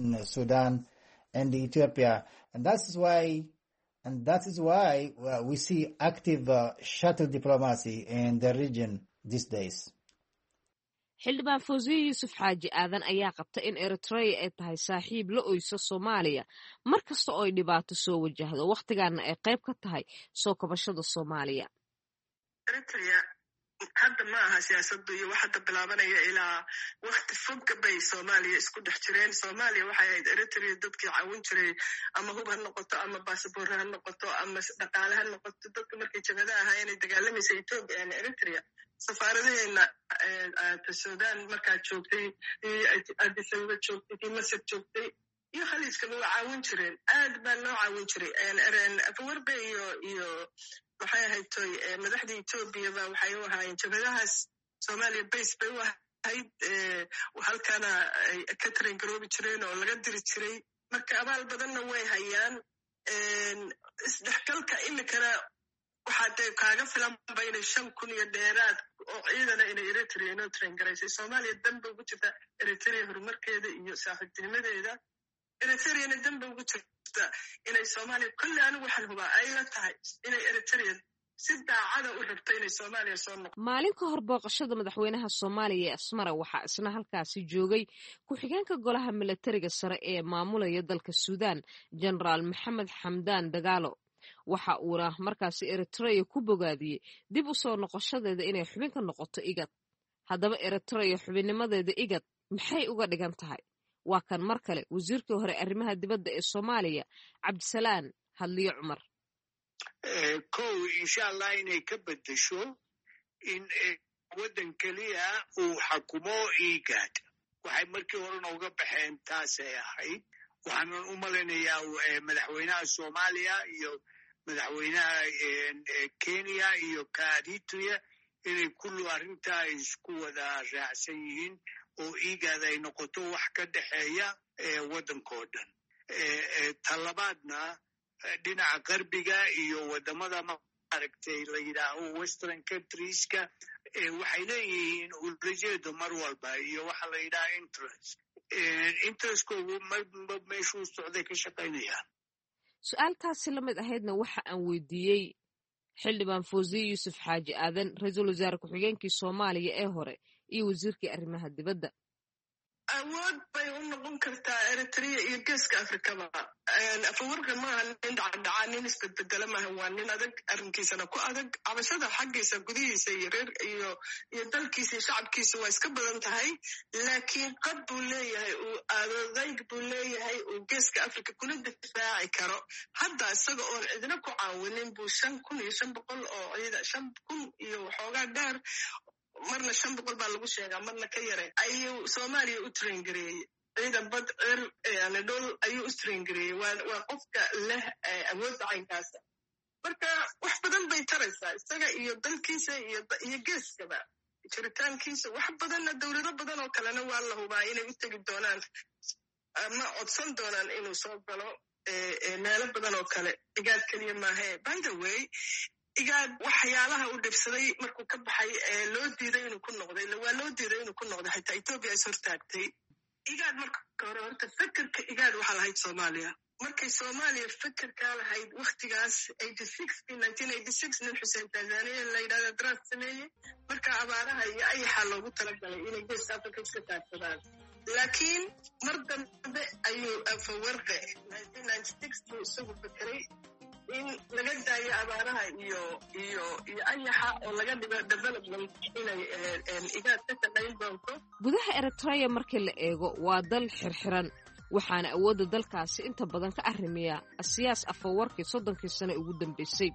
And Ethiopia. And that is why, and that is why uh, we see active uh, shuttle diplomacy in the region these days. Xildhibaan Fawsiye Yuusuf Xaaji Aadan ayaa qabta in Eritrea ay tahay saaxiib la oyso Soomaaliya mar kasta oo ay dhibaato soo wajahdo, wakhtigaana ay qayb ka tahay soo kabashada Soomaaliya. Eritrea hadda ma aha siyaasaddu iyo wax hadda bilaabanaya, ilaa wakti fogga bay Soomaaliya isku dhex jireen. Soomaaliya waxay ahayd Eritrea dadkii caawin jiray, ama hub ha noqoto, ama baasaboorre ha noqoto, ama dhaqaale ha noqoto. Dadka markay jabhada ahaa inay dagaalamaysa Ethiopia and Eritrea, safaaradaheena Sudan markaa joogtay, Addis Ababa joogtay, tii Masar joogtay iyo khaliijkaba waa caawin jireen. Aad baa loo caawin jiray. Afawarbe iyo iyo maxay ahayd toy madaxda Ethiopia ba waxay u ahaayeen jabhadahaas Soomaaliya base bay u ahayd, halkana ay ka train garoobi jireen oo laga diri jiray. Marka abaal badanna way hayaan. Isdhexgalka imikana waxaa dee kaaga filanba inay shan kun iyo dheeraad oo ciidana inay Eritrea inoo train garaysay. Soomaaliya danba ugu jirta Eritrea horumarkeeda iyo saaxiibtinimadeeda, Eritreana danba ugu jirta inay Soomaaliya. Kolle anigu waxaan hubaa ay la tahay inay Eritrea si daacada u rabto inay Soomaaliya soo noqo. Maalin ka hor booqashada madaxweynaha Soomaaliya ee Asmara, waxaa isna halkaasi joogay ku-xigeenka golaha milatariga sare ee maamulaya dalka Suudaan, Jenaraal Maxamed Xamdaan Dagaalo. Waxa uuna markaasi Eritrea ku bogaadiyey dib u soo noqoshadeeda inay xubin ka noqoto IGAD. Haddaba Eritrea xubinnimadeeda IGAD maxay uga dhigan tahay? Waa kan mar kale wasiirkii hore arrimaha dibadda ee Soomaaliya, Cabdisalaan Hadliyo Cumar. Kow, insha Allah inay ka beddesho in waddan keliya uu xakumo IGAD. Waxay markii horena uga baxeen taasay ahayd. Waxaanan u malaynayaa madaxweynaha Soomaaliya iyo madaxweynaha Kenya iyo ka Eritrea inay kullu arrintaa isku wada raacsan yihiin oo IGAD ay noqoto wax ka dhexeeya waddankoo dhan. Talabaadna, dhinaca qarbiga iyo waddamada maaragtay la yidhaaho western countrieska waxay leeyihiin ulajeedo mar walba iyo waxa la yidhaha interest interestkoogu marba meeshuu socday ka shaqaynayaan. Su-aaltaasi la mid ahaydna waxa aan weydiiyey xildhibaan Fawziye Yuusuf Xaaji Aadan, ra-iisul wasaare ku-xigeenkii Soomaaliya ee hore iyo wasiirkii arrimaha dibadda. Awood bay u noqon kartaa Eritrea iyo geeska Afrikaba. Afawarka maaha nin dhacdhacaa, nin isbedbedela maaha, waa nin adag, arrinkiisana ku adag. Cabashada xaggiisa gudihiisa iyo reer iyo iyo dalkiisa iyo shacabkiisa waa iska badan tahay, laakiin qad buu leeyahay, uu adadayg buu leeyahay uu geeska Afrika kula difaaci karo. Hadda isaga oon cidna ku caawinin buu shan kun iyo shan boqol oo ciida, shan kun iyo waxoogaa dheer, marna shan boqol baa lagu sheegaa, marna ka yare, ayuu Soomaaliya u train gareeyey. Ciidan bad, cir, yani dhul ayuu u train gareeyey. Waa waa qofka leh awoodda caynkaasa. Marka wax badan bay taraysaa isaga iyo dalkiisa iyo iyo geeskaba jiritaankiisa. Wax badanna dowlado badan oo kalena waa la hubaa inay u tegi doonaan ama codsan doonaan inuu soo galo meelo badan oo kale. IGAD keliya maahae. By the way, IGAD waxyaalaha uu dhibsaday markuu ka baxay ee loo diiday inuu ku noqday, waa loo diiday inuu ku noqday, xitaa Ethiopia is hortaagtay IGAD. Marka hore horta fekerka IGAD waxaa lahayd Soomaaliya. Markay Soomaaliya fekerkaa lahayd waktigaas nin Xuseen Tanzania la yidhahda draft sameeyey. Marka abaaraha iyo ayaxaa loogu talagalay inay geeska Africa iska taagsadaan, laakiin mar dambe ayuu Afawarqe buu isagu fekeray in laga daayo abaaraha iyo iyo iyo ayaxa oo laga dhigo development inay IGAD ka shaqayn doonto. Gudaha Eritrea markii la eego waa dal xirxiran, waxaana awoodda dalkaasi inta badan ka arrimiya Asiyaas Afawarkii soddonkii sane ugu dambaysay.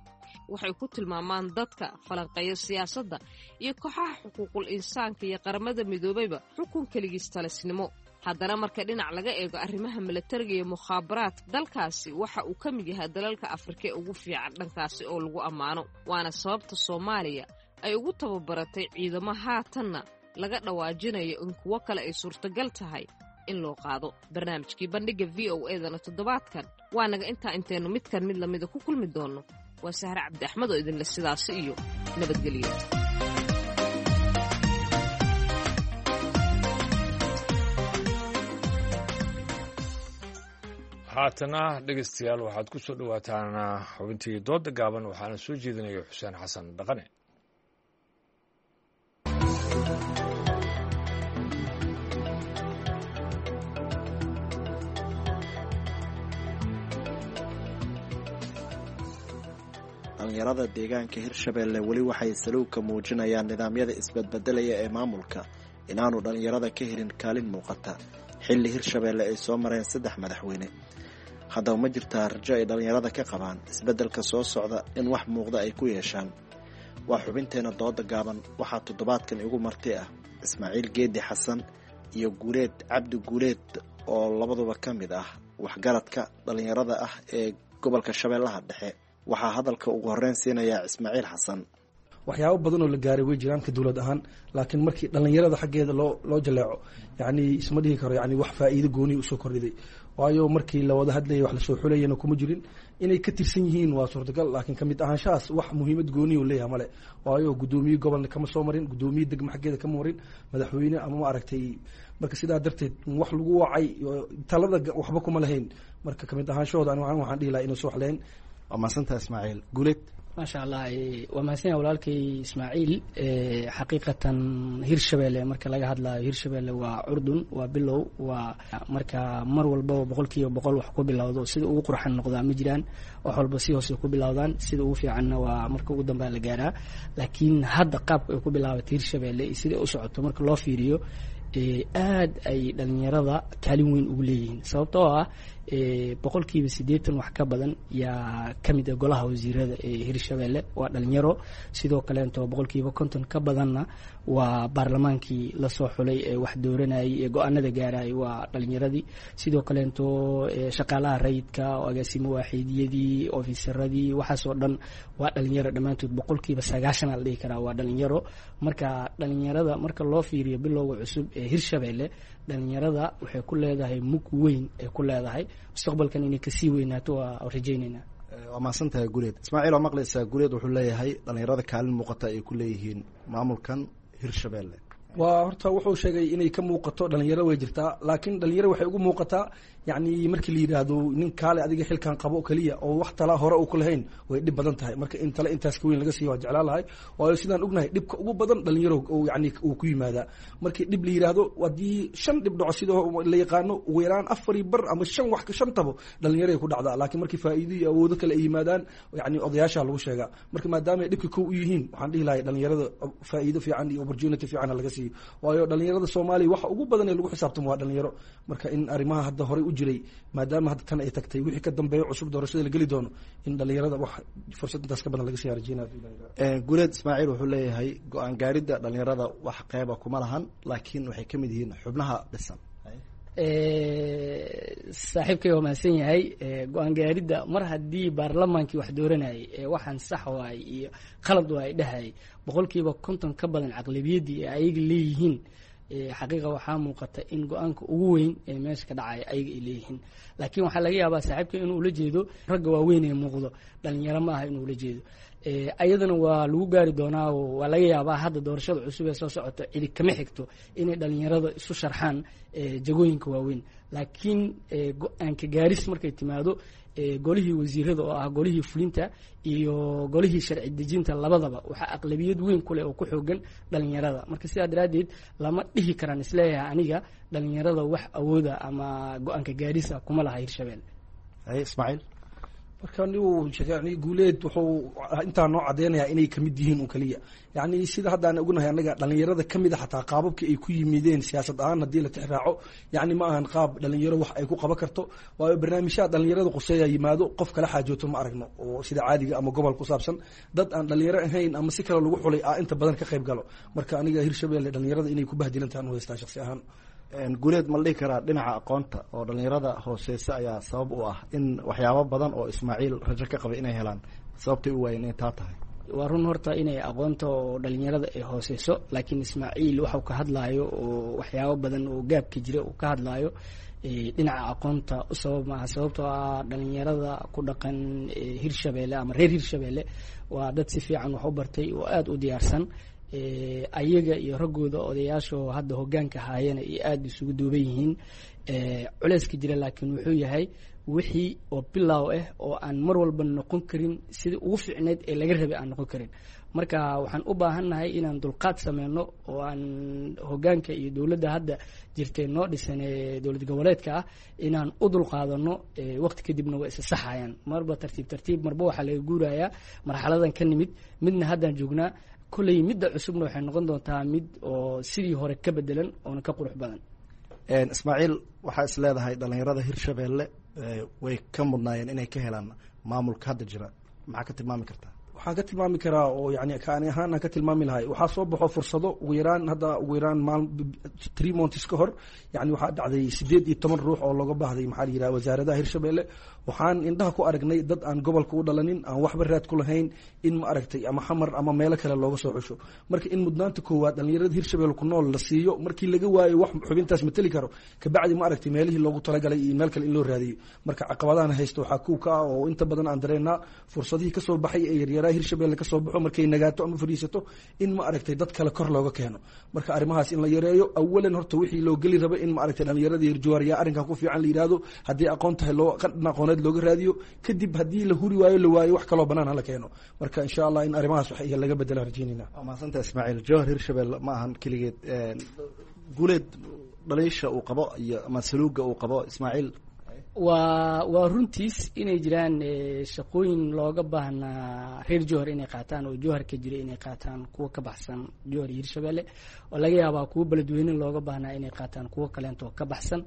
Waxay ku tilmaamaan dadka falanqeeya siyaasadda iyo kooxaha xuquuqul insaanka iyo qaramada midoobayba xukun keligiis talisnimo. Haddana marka dhinac laga eego arrimaha milatariga iyo mukhaabaraadka, dalkaasi waxa uu ka mid yahay dalalka Afrika ee ugu fiican dhankaasi oo lagu ammaano, waana sababta Soomaaliya ay ugu tababaratay ciidamo haatanna laga dhawaajinayo in kuwo kale ay suurtagal tahay in loo qaado. Barnaamijkii bandhigga V O edana toddobaadkan waa naga intaa. Intaynu midkan mid lamida ku kulmi doonno, waa Sahre Cabdi Axmed oo idinle sidaasi iyo nabadgelyo. Haatana dhegeystayaal, waxaad ku soo dhowaataan xubintii dooda gaaban, waxaana soo jeedinaya Xuseen Xasan Dhaqane. Dhallinyarada deegaanka Hirshabeelle weli waxay saluugka muujinayaan nidaamyada isbadbedelaya ee maamulka inaanu dhallinyarada ka helin kaalin muuqata xilli Hirshabeelle ay soo mareen saddex madaxweyne. Haddaba ma jirtaa rajo ay dhallinyarada ka qabaan isbeddelka soo socda in wax muuqda ay ku yeeshaan? Waa xubinteena dooda gaaban. Waxaa toddobaadkan igu marti ah Ismaaciil Geedi Xasan iyo Guuleed Cabdi Guuleed oo labaduba ka mid ah waxgaradka dhallinyarada ah ee gobolka Shabeellaha Dhexe. Waxaa hadalka ugu horreyn siinayaa Ismaaciil Xasan. Waxyaabo badan oo la gaaray way jiraan ka dowlad ahaan, laakiin markii dhallinyarada xaggeeda loo loo jaleeco, yacni isma dhihi karo yani wax faa'iido gooniya usoo kordhiday, waayo markii la wada hadlayay wax lasoo xulayana kuma jirin. Inay ka tirsan yihiin waa suurtagal, laakiin kamid ahaanshahaas wax muhiimad gooniya u leeyahay male, waayo guddoomiye gobolna kama soo marin, guddoomiye degmo xaggeeda kama marin, madaxweyne ama ma aragtay. Marka sidaa darteed wax lagu wacay talada waxba kuma lahayn. Marka kamid ahaanshahooda ani waxaan dhihi lahaa inay soo waxleen. Waa mahadsantaha Ismaaciil Guuleed. Maasha Allah, waa mahadsan yahay walaalkay Ismaaciil. Xaqiiqatan Hirshabeelle marka laga hadlayo, Hirshabeelle waa curdun, waa bilow, waa marka mar walbaba boqolkiiba boqol wax ku bilowdo sida ugu qurxan noqdaa ma jiraan. Wax walba si hoose ku bilowdaan, sida ugu fiicanna waa marka ugu dambaa la gaaraa. Laakiin hadda qaabka ay ku bilaabatay Hirshabeelle iyo sida u socoto marka loo fiiriyo, aad ay dhalinyarada kaalin weyn ugu leeyihiin, sababtoo ah boqolkiiba siddeetan wax ka badan yaa ka mid ah golaha wasiirada ee Hirshabeelle waa dhalinyaro. Sidoo kaleeto boqolkiiba konton ka badanna waa baarlamaankii lasoo xulay ee wax dooranayay ee go-aanada gaarayay waa dhalinyaradii. Sidoo kaleeto shaqaalaha rayidka, agaasimo waaxiidyadii, ofisaradii, waxaasoo dhan waa dhalinyaro dhammaantood. Boqolkiiba sagaashan aa la dhihi karaa waa dhalinyaro. Marka dhalinyarada marka loo fiiriyo bilowga cusub ee Hirshabeelle, dhalinyarada waxay ku leedahay mug weyn ay ku leedahay, mustaqbalkan inay kasii weynaato waa rajaynaynaa. Waa mahadsantahay Guuleed. Ismaaciil, waa maqlaysaa, Guuleed wuxuu leeyahay dhalinyarada kaalin muuqata ay ku leeyihiin maamulkan Hirshabeelle. Waa horta wuxuu sheegay inay ka muuqato dhalinyaro, way jirtaa, laakiin dhalinyaro waxay ugu muuqataa yacni markii la yidhaahdo nin kaale adiga xilkan qabo keliya oo wax tala hore uu ku lahayn, way dhib badan tahay. Marka in tale intaas ka weyn laga siiyo waa jeclaan lahay, waayo sidaan ognahay dhibka ugu badan dhalinyaro yani uu ku yimaadaa. Markii dhib la yidhaahdo, haddii shan dhib dhaco sida la yaqaano, ugu yaraan afar iyo bar ama shan wax shan tabo dhalinyaray ku dhacdaa. Laakiin markii faa'iido iyo awoodo kale ay yimaadaan, yacni odayaasha lagu sheegaa. Marka maadaama ay dhibka kow u yihiin, waxaan dhihi lahay dhalinyarada faa'iido fiican iyo opportunity fiican laga siiyo, waayo dhalinyarada Soomaaliya waxa ugu badan ee lagu xisaabtamo waa dhalinyaro. Marka in arrimaha hadda horey u jiray, maadaama hadda tan ay tagtay, wixii ka dambeeyo cusub doorashada la geli doono, in dhalinyarada wax fursad intaas ka badan laga sii rajeynaya. Guuleed, Ismaaciil wuxuu leeyahay go-aan gaaridda dhalinyarada wax qeyba kuma lahan, laakiin waxay ka mid yihiin xubnaha dhisan. Saaxiibkay waa mahadsan yahay. Go-aan gaaridda mar haddii baarlamaankii wax dooranayay ee waxaan sax waay iyo qalad waay dhahayay boqolkiiba konton ka badan caqlibiyaddii ee ayaga leeyihiin, xaqiiqa waxaa muuqata in go-aanka ugu weyn ee meesha ka dhacaya ayaga ay leeyihiin. Laakiin waxaa laga yaabaa saaxiibka inuu ula jeedo ragga waaweyn ee muuqdo, dhalinyaro ma aha inuu ula jeedo. Ayadana waa lagu gaari doonaa, oo waa laga yaabaa hadda doorashada cusub ee soo socota cidi kama xigto inay dhalinyarada isu sharxaan jagooyinka waaweyn. Laakiin go-aanka gaaris markay timaado, golihii wasiirada oo ah golihii fulinta iyo golihii sharci dejinta labadaba waxaa aqlabiyad weyn kuleh oo ku xoogan dhalinyarada. Marka sidaa daraaddeed lama dhihi karaan isleeyahay aniga dhalinyarada wax awooda ama go-aanka gaarisa kuma laha Hirshabelle. Ismaaciil, marka nigu yani Guuleed wuxuu intaa noo cadeynayaa inay kamid yihiin un kaliya. Yani sida hadda aan ognahay annaga dhalinyarada kamid a, xataa qaababka ay ku yimideen siyaasad ahaan haddii la tixraaco, yani ma ahan qaab dhalinyaro wax ay ku qaban karto, waayo barnaamijyaha dhalinyarada quseeya yimaado qof kala xaajooto ma aragno oo sida caadiga ama gobol ku saabsan dad aan dhalinyaro ahayn ama si kale lagu xulay a inta badan ka qayb galo. Marka aniga Hirshabelle dhalinyarada inay ku bahdilantahan u haystaa shaksi ahaan. Guuleed, ma la dhihi karaa dhinaca aqoonta oo dhalinyarada hooseysa ayaa sabab u ah in waxyaabo badan oo Ismaaciil rajo ka qabay inay helaan sababtay u waayeen inay taa tahay? Waa run horta inay aqoonta oo dhalinyarada ay hooseyso, laakiin Ismaaciil waxau ka hadlaayo oo waxyaabo badan oo gaabka jira uu ka hadlaayo dhinaca aqoonta u sabab maaha, sababtoo ah dhalinyarada ku dhaqan Hirshabelle ama reer Hirshabelle waa dad si fiican wax u bartay oo aada u diyaarsan. Ayaga iyo raggooda odayaashaoo hadda hoggaanka haayana iyo aada isugu duuban yihiin culeyska jira. Laakiin wuxuu yahay wixii oo bilow ah oo aan mar walba noqon karin sidii ugu fiicneyd ee laga rabay aan noqon karin. Marka waxaan u baahannahay inaan dulqaad sameyno oo aan hogaanka iyo dowladda hadda jirtay noo dhisan ee dowlad goboleedka ah inaan u dulqaadano. Waqti kadibna waa isa saxayaan, marba tartiib tartiib, marba waxaa laga guurayaa marxaladan ka nimid midna haddaan joognaa. Kolley midda cusubna waxay noqon doontaa mid oo sidii hore ka bedelan oona ka qurux badan. Ismaaciil, waxaa is leedahay dhalinyarada Hirshabeelle way ka mudnaayeen inay ka helaan maamulka hadda jira, maxaa ka tilmaami kartaa? Waxaan ka tilmaami karaa oo yani kaani ahaan aan ka tilmaami lahay, waxaa soo baxo fursado ugu yaraan hadda ugu yaraan maal three months ka hor, yani waxaa dhacday sideed iyo toban ruux oo looga baahday maxaa la yidhaha wasaaradaha Hirshabeelle. Waxaan indhaha ku aragnay dad aan gobolka u dhalanin, aan waxba raad ku lahayn, in ma aragtay ama Xamar ama meelo kale looga soo xusho. Marka in mudnaanta koowaad dhalinyarada Hirshabeelle ku nool la siiyo, markii laga waayo wax xubintaas mateli karo, kabacdi ma aragtay meelihii loogu talagalay iyo meel kale in loo raadiyo. Marka caqabadahan haysta waxaa kuw ka ah oo inta badan aan dareennaa fursadihii kasoo baxay ee yaryaraha Hirshabeelle kasoo baxo markay nagaato ama fadhiisato in ma aragtay dad kale kor looga keeno. Marka arrimahaas in la yareeyo awalan horta wixii loo geli raba in ma aragtay dhalinyarada Hirjawaar yaa arrinkan ku fiican la yidhaahdo, haddii aqoon tahay loo qadhan aqooneed looga raadiyo, kadib haddii la huri waayo la waayo wax kaloo banaan hala keeno. Marka insha Allah in arrimahaas wax iyo laga bedela rajaynayna. Waa mahadsanta Ismaaciil. Jowhar, Hirshabelle ma ahan keligeed. Guuleed, dhaliisha uu qabo iyo ama saluuga uu qabo Ismaaciil? Waa waa runtiis inay jiraan shaqooyin looga baahnaa reer Jowhar inay qaataan oo Jowhar ka jira inay qaataan kuwa ka baxsan Jowhar iyo Hirshabelle, oo laga yaabaa kuwa beledweyne looga baahnaa inay qaataan kuwo kaleento ka baxsan.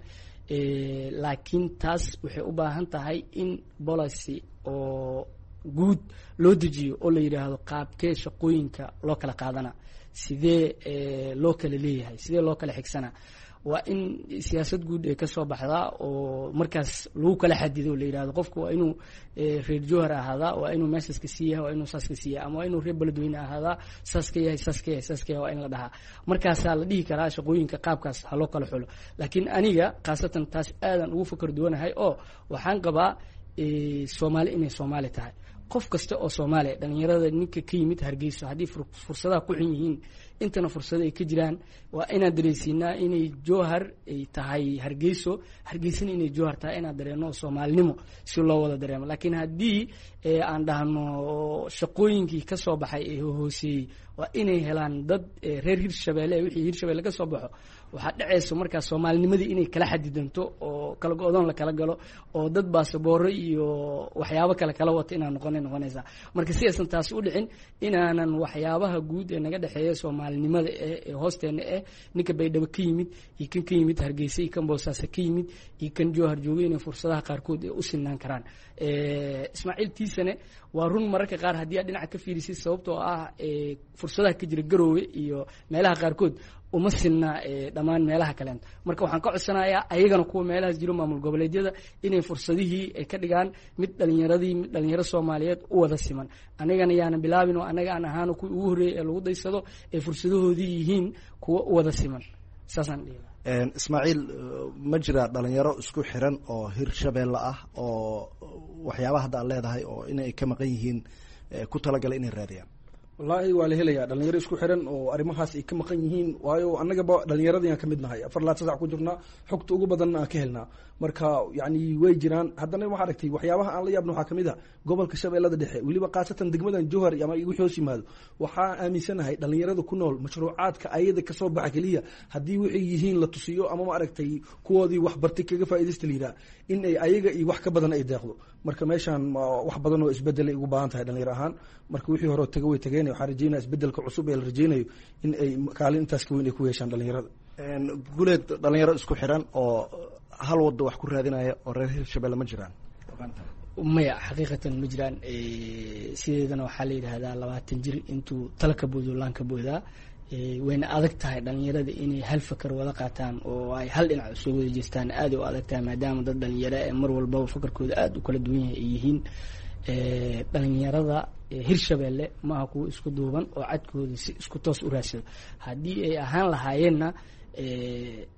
Laakiin taas waxay u baahan tahay in policy oo guud loo dejiyo oo la yidhaahdo qaabkee shaqooyinka loo kala qaadana, sidee loo kala leeyahay, sidee loo kala xigsanaa. Waa in siyaasad guud ee kasoo baxdaa oo markaas lagu kala xadido, la yidhahdo qofku waa inuu reer Jowhar ahaadaa, waa inuu meeshaas ka sii yahay, waa inuu saas ka sii yahay, ama waa inuu reer beledweyne ahaadaa, saas ka yahay, saas ka yahay, saas ka yahay, waa in la dhahaa. Markaasaa la dhihi karaa shaqooyinka qaabkaas ha loo kala xulo. Laakiin aniga khaasatan taas aadan ugu fakar duwanahay oo waxaan qabaa Soomaali inay Soomaali tahay, qof kasta oo Soomaaliya, dhalinyarada ninka ka yimid Hargeyso haddii fursadaha ku xun yihiin intana fursado ay ka jiraan, waa inaan dareensiinaa inay Jowhar ay tahay Hargeyso, Hargeysana inay Jowhar tahay, inaan dareeno Soomaalinimo si loo wada dareemo. Laakiin haddii aan dhahno shaqooyinkii ka soo baxay ee hooseeyey waa inay helaan dad reer Hirshabeelle, wixii Hirshabeelle ka soo baxo, waxaa dhacayso markaas Soomaalinimadii inay kala xadidanto oo kala go-doon la kala galo oo dad baasabooro iyo waxyaabo kale kala wata inaan noqonay noqonaysaa. Marka si aysan taasi u dhicin, inaanan waxyaabaha guud ee naga dhexeeya Soomaalinimada eh ee hoosteena eh, ninka Baydhabo ka yimid iyo kan ka yimid Hargeysa iyo kan Boosaaso ka yimid iyo kan Jowhar joogay inay fursadaha qaarkood ee u sinaan karaan. Ismaaciil tiisane waa run mararka qaar haddii aad dhinaca ka fiirisid, sababtoo ah fursadaha ka jira Garoowe iyo meelaha qaarkood uma sinna dhammaan meelaha kaleento. Marka waxaan ka codsanayaa ayagana kuwa meelahaas jiro maamul goboleedyada inay fursadihii ay ka dhigaan mid dhalinyaradii, mid dhalinyaro Soomaaliyeed u wada siman. Anigana yaanan bilaabin oo annaga aan ahaano kuwii ugu horreeyay ee lagu daysado ay fursadahoodii yihiin kuwa u wada siman, saasaan dhihi. Ismaaciil, ma jiraa dhalinyaro isku xiran oo Hirshabeelle ah oo waxyaabaha hadda aad leedahay oo inay ka maqan yihiin ku talagalay inay raadiyaan? Wallaahi waa la helayaa dhalinyaro isku xiran oo arrimahaas ay ka maqan yihiin, waayo annagaba dhalinyaradii aan ka mid nahay, afar laad sasac ku jirnaa, xogta ugu badanna aan ka helnaa. Marka yacni way jiraan. Haddana waxaa aragtay waxyaabaha aan la yaabna waxaa kamid a gobolka Shabeellada Dhexe, weliba khaasatan degmadan Jowhar ama igu hoos yimaado, waxaa aaminsanahay dhalinyarada ku nool mashruucaadka ayada kasoo baxa keliya haddii waxay yihiin la tusiyo ama ma aragtay kuwoodii wax bartay kaga faa'iidaysta la yidhaha in ay ayaga iyo wax ka badan ay deeqdo. Marka meeshaan wax badan oo isbedelay ugu baahan tahay dhalinyaro ahaan. Marka wixii hore taga way tageen, waxaan rajeynaya isbedelka cusub ee la rajeynayo in ay kaalin intaas ka weyn ay ku yeeshaan dhalinyarada. Guuleed, dhalinyaro isku xiran oo hal waddo wax ku raadinaya oo reer Hirshabelle ma jiraan? Maya, xaqiiqatan ma jiraan. Sideedana waxaa la yidhaahdaa labaatan jir intuu tala ka boodo laan ka boodaa. Wayna adag tahay dhalinyarada inay hal fakar wada qaataan oo ay hal dhinac usoo wada jeestaan, aaday u adag tahay maadaama dad dhalinyaro ee mar walbaba fakarkooda aada u kala duwan yahay ay yihiin. Dhalinyarada Hirshabelle maaha kuwa isku duuban oo cadkooda si isku toos u raadsado. Haddii ay ahaan lahaayeenna,